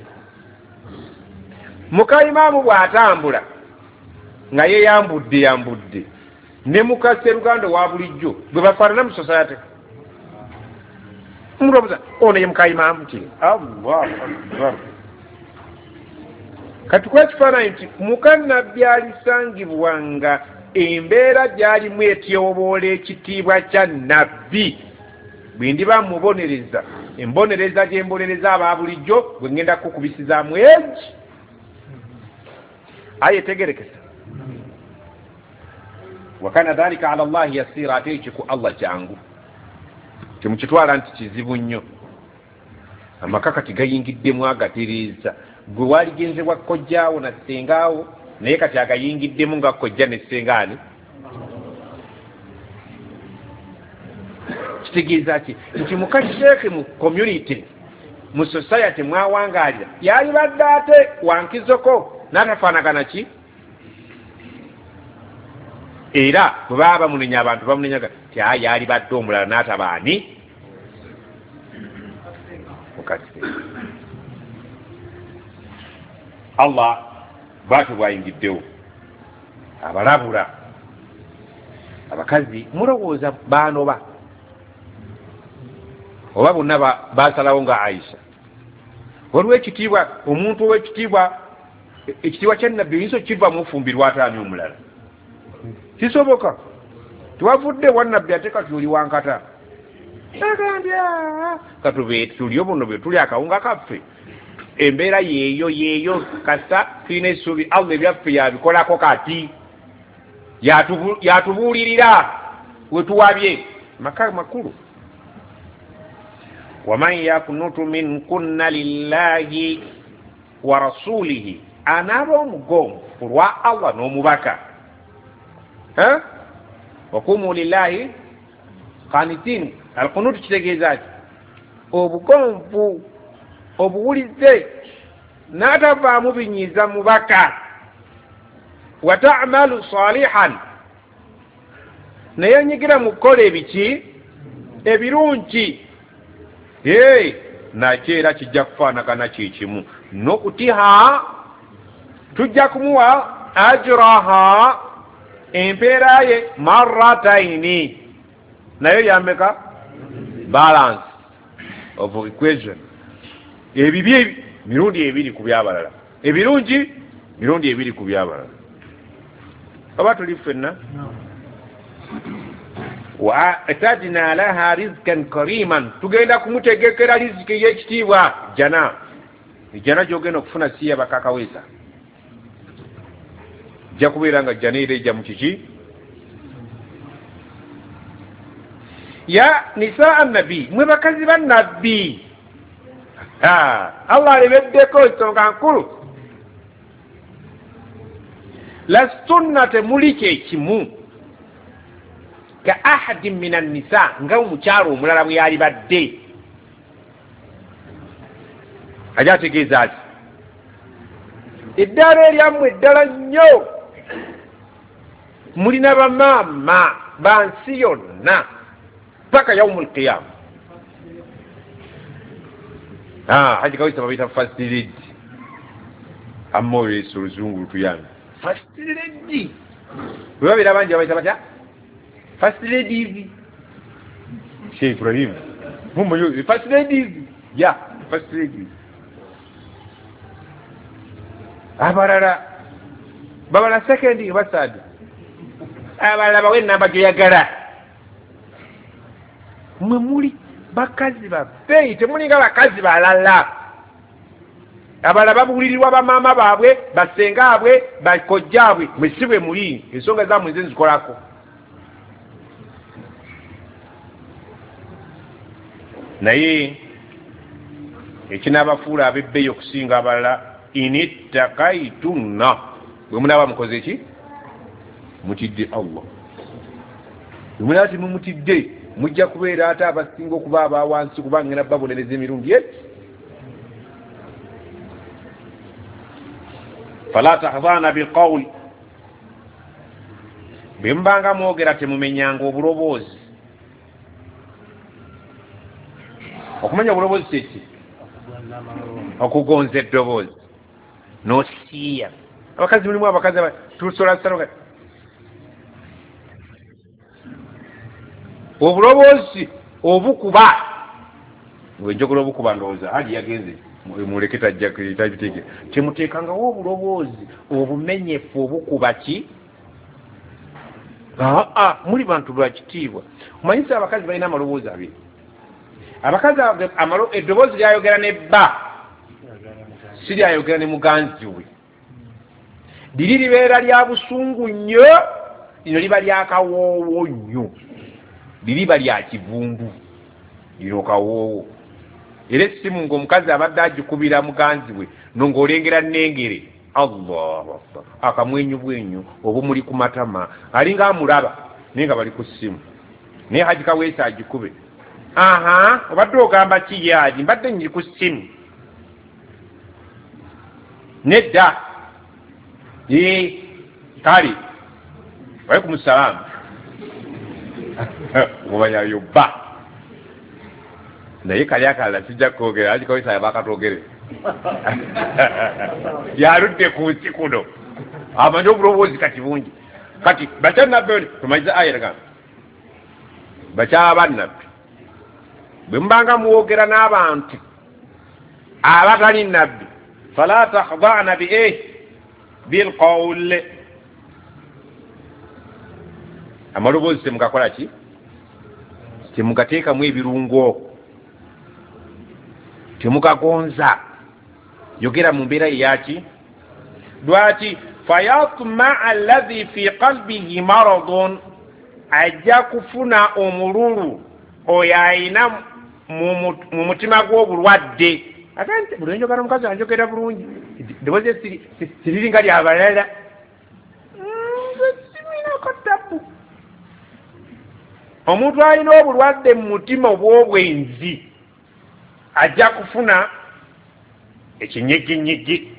Muka imaamu bw'atambula nga yeyambudde yambudde ne muka sseruganda wa bulijjo bwe bafaanana mu society, omuntu ono ye muka imaamu ki? Allahu akbar. Kati kuba ekifaananyi nti muka nabbi alisangibwa nga embeera gy'alimu etyoboola ekitiibwa kya nabbi, bwe ndiba mubonereza embonereza gye mbonereza aba bulijjo, bwe ngenda kukubisizaamu egi. Aye tegerekesa. Wakana dhalika ala Allahi yasira, ate ekyo ku Allah kyangu, temukitwala nti kizibu nnyo. Amaka kati gayingiddemu agatereeza, gwe waligenze bwa kojjaawo na ssengaawo, naye kati agayingiddemu nga kojja ne ssengaani. Kitegeeza ki? Nti muka sheekhe mu community, mu society mwawangaalira, yalibadde ate wankizoko n'atafaanagana ki. Era bwe baba bamunenya abantu bamunenyaga ti yalibadde omulala n'atabaani mukase. Allah bwatyo bwayingiddewo abalabula abakazi. Mulowooza baanoba oba bonna basalawo nga Aisha? Waliwo ekitiibwa, omuntu ow'ekitiibwa, ekitiibwa kya nabbi oyinza okiva mufumbirwa ataani omulala, kisoboka. Tiwavudde wa nabbi ate kati oli wankata, agambye katube tulyo buno bwe tuli akawunga kaffe, embeera yeeyo yeeyo, kasa tulina essuubi Allah ebyaffe yabikolako kati yatubuulirira wetuwabye. Maka makulu. Waman yakunutu minkunna lillahi wa rasulihi, anaaba omugonvu ku lwa Allah n'omubaka. Wakumu lillahi qanitin. Alkunutu kitegeeza ki? Obugonvu, obuwulize, n'atavaamu binyiiza mubaka. Wa ta'malu salihan, naye nyigira mu kukola ebiki ebirungi, nakyo era kijja kufaanagana kyekimu n'okutiha, tujja kumuwa ajraha, empeera ye marrataini, nayo yameka balance of equation. Ebibi mirundi ebiri ku byabalala, ebirungi mirundi ebiri ku byabalala. Oba tuli ffenna? Wa atadna laha rizqan kariman, tugenda kumutegekera riziki ey'ekitiibwa, jana. Ejjana gy'ogenda okufuna si ya bakakaweza, ejja kubeera nga jjana era ejja mu kiki. Ya nisaa nabi, mwe bakazi ba nabbi. Allah alemeddeko ensonga nkulu. Lastunna, temuli kyekimu ka ahadin min annisa, nga omukyalo omulala bwe yali badde. Ajja ategeeza ki? Eddaala eryammwe eddala nnyo, mulina bamaama ba nsi yonna paka yaumul qiyama. Haji Kawesa babiyita first lady. Amma olwesa oluzungu lutuyambe. First lady bwe babeera bangi babayita batya? First ladies. Sheikh Ibrahim mumanyi first ladies? Ya first ladies. Abalala babala second oba third, abalala bawe enamba gyoyagala. Mwe muli bakazi babbeeyi, temulinga bakazi balala. Abalala babuulirirwa bamaama baabwe, basengaabwe, bakojjaabwe. Mwe si bwe muli, ensonga zammwe nze nzikolako. Naye ekinaabafuula ab'ebbeeyi okusinga abalala, inittakaitunna, bwe munaaba mukoze ki? Mutidde Allah. Bwe munaaba temumutidde, mujja kubeera ate abasinga okuba abawansi, kuba ngenda babonereza emirundi eki. Fala tahdhana bilqawl, bwe mubanga mwogera temumenyanga obuloboozi. Okumenya obuloboozi kyeki? Okugonza eddoboozi nosiiya. Abakazi mulimu abakazi tusolasalo obuloboozi obukuba. Bwe njogera obukuba ndowooza Haji yagenze muleke tajja tabitegeera. Temuteekangawo obuloboozi obumenyefu obukuba ki? Muli bantu ba kitiibwa. Omanyisa abakazi balina amaloboozi abiri. Abakazi eddoboozi lyayogera ne bba si lyayogera ne muganzi we. Liri libeera lya busungu nnyo, lino liba lya kawoowo nnyo, liriba lya kivundu, lino kawoowo. Era essimu ng'omukazi abadde agikubira muganzi we ng'olengera nnengere, Allahu akbar, akamwenyu bwenyu obumuli ku matama, alinga amulaba naye nga bali ku ssimu. Naye Haji Kaweesa agikube, aha, obadde ogamba ki? Yaji mbadde nyiri ku ssimu. Nedda kale walaikum salaamu, omanyayo bba. Naye kali akalala sijja kwogera, Haji Kaweesa yabakatwogere yaludde ku nsi kuno, amanyi obuloboozi kati bungi. Kati bakyannabbi tumanyiza aya bakyaba bannabbi, bwe mubanga mwogera n'abantu abatali nabbi, fala takhda'na bi bilqawl, amaloboozi temugakola ki? Temugateekamu ebirungo, temugagonza. Yogera mu mbeera eyaki. Lwaki? Fayatmaa alladhi fi qalbihi maradun, ajja kufuna omululu oyo ayina mu mutima gw'obulwadde. Ate buli njogera omukazi anjogera bulungi, eddoboozi siriringa lyabalala, nze siminako tabu. Omuntu alina obulwadde mu mutima obw'obwenzi ajja kufuna ekinyiginyigi,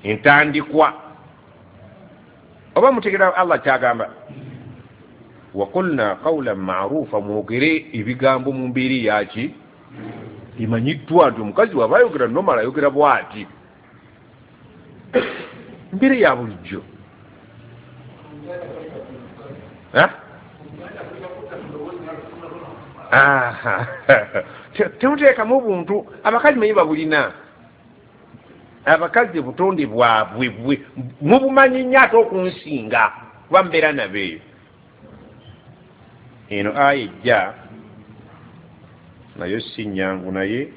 entandikwa. Oba mutegera Allah kyagamba, waqulna qawlan ma'rufa, mwogere ebigambo mu mbeera eyaki emanyiddwa nti omukazi waba ayogera normal ayogera bw'ati, mbeera ya bulijjo. Temuteekamu obuntu, abakazi manyi babulina. Abakazi obutonde bwabwe mubumanyi nnyo ate okunsinga, kuba mubeera nabo eyo. Eno aya ejja nayo si nyangu, naye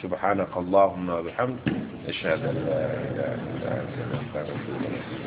subhanaka allahumma wabihamdik, ashhadu an la ilaha illa anta, astaghfiruka.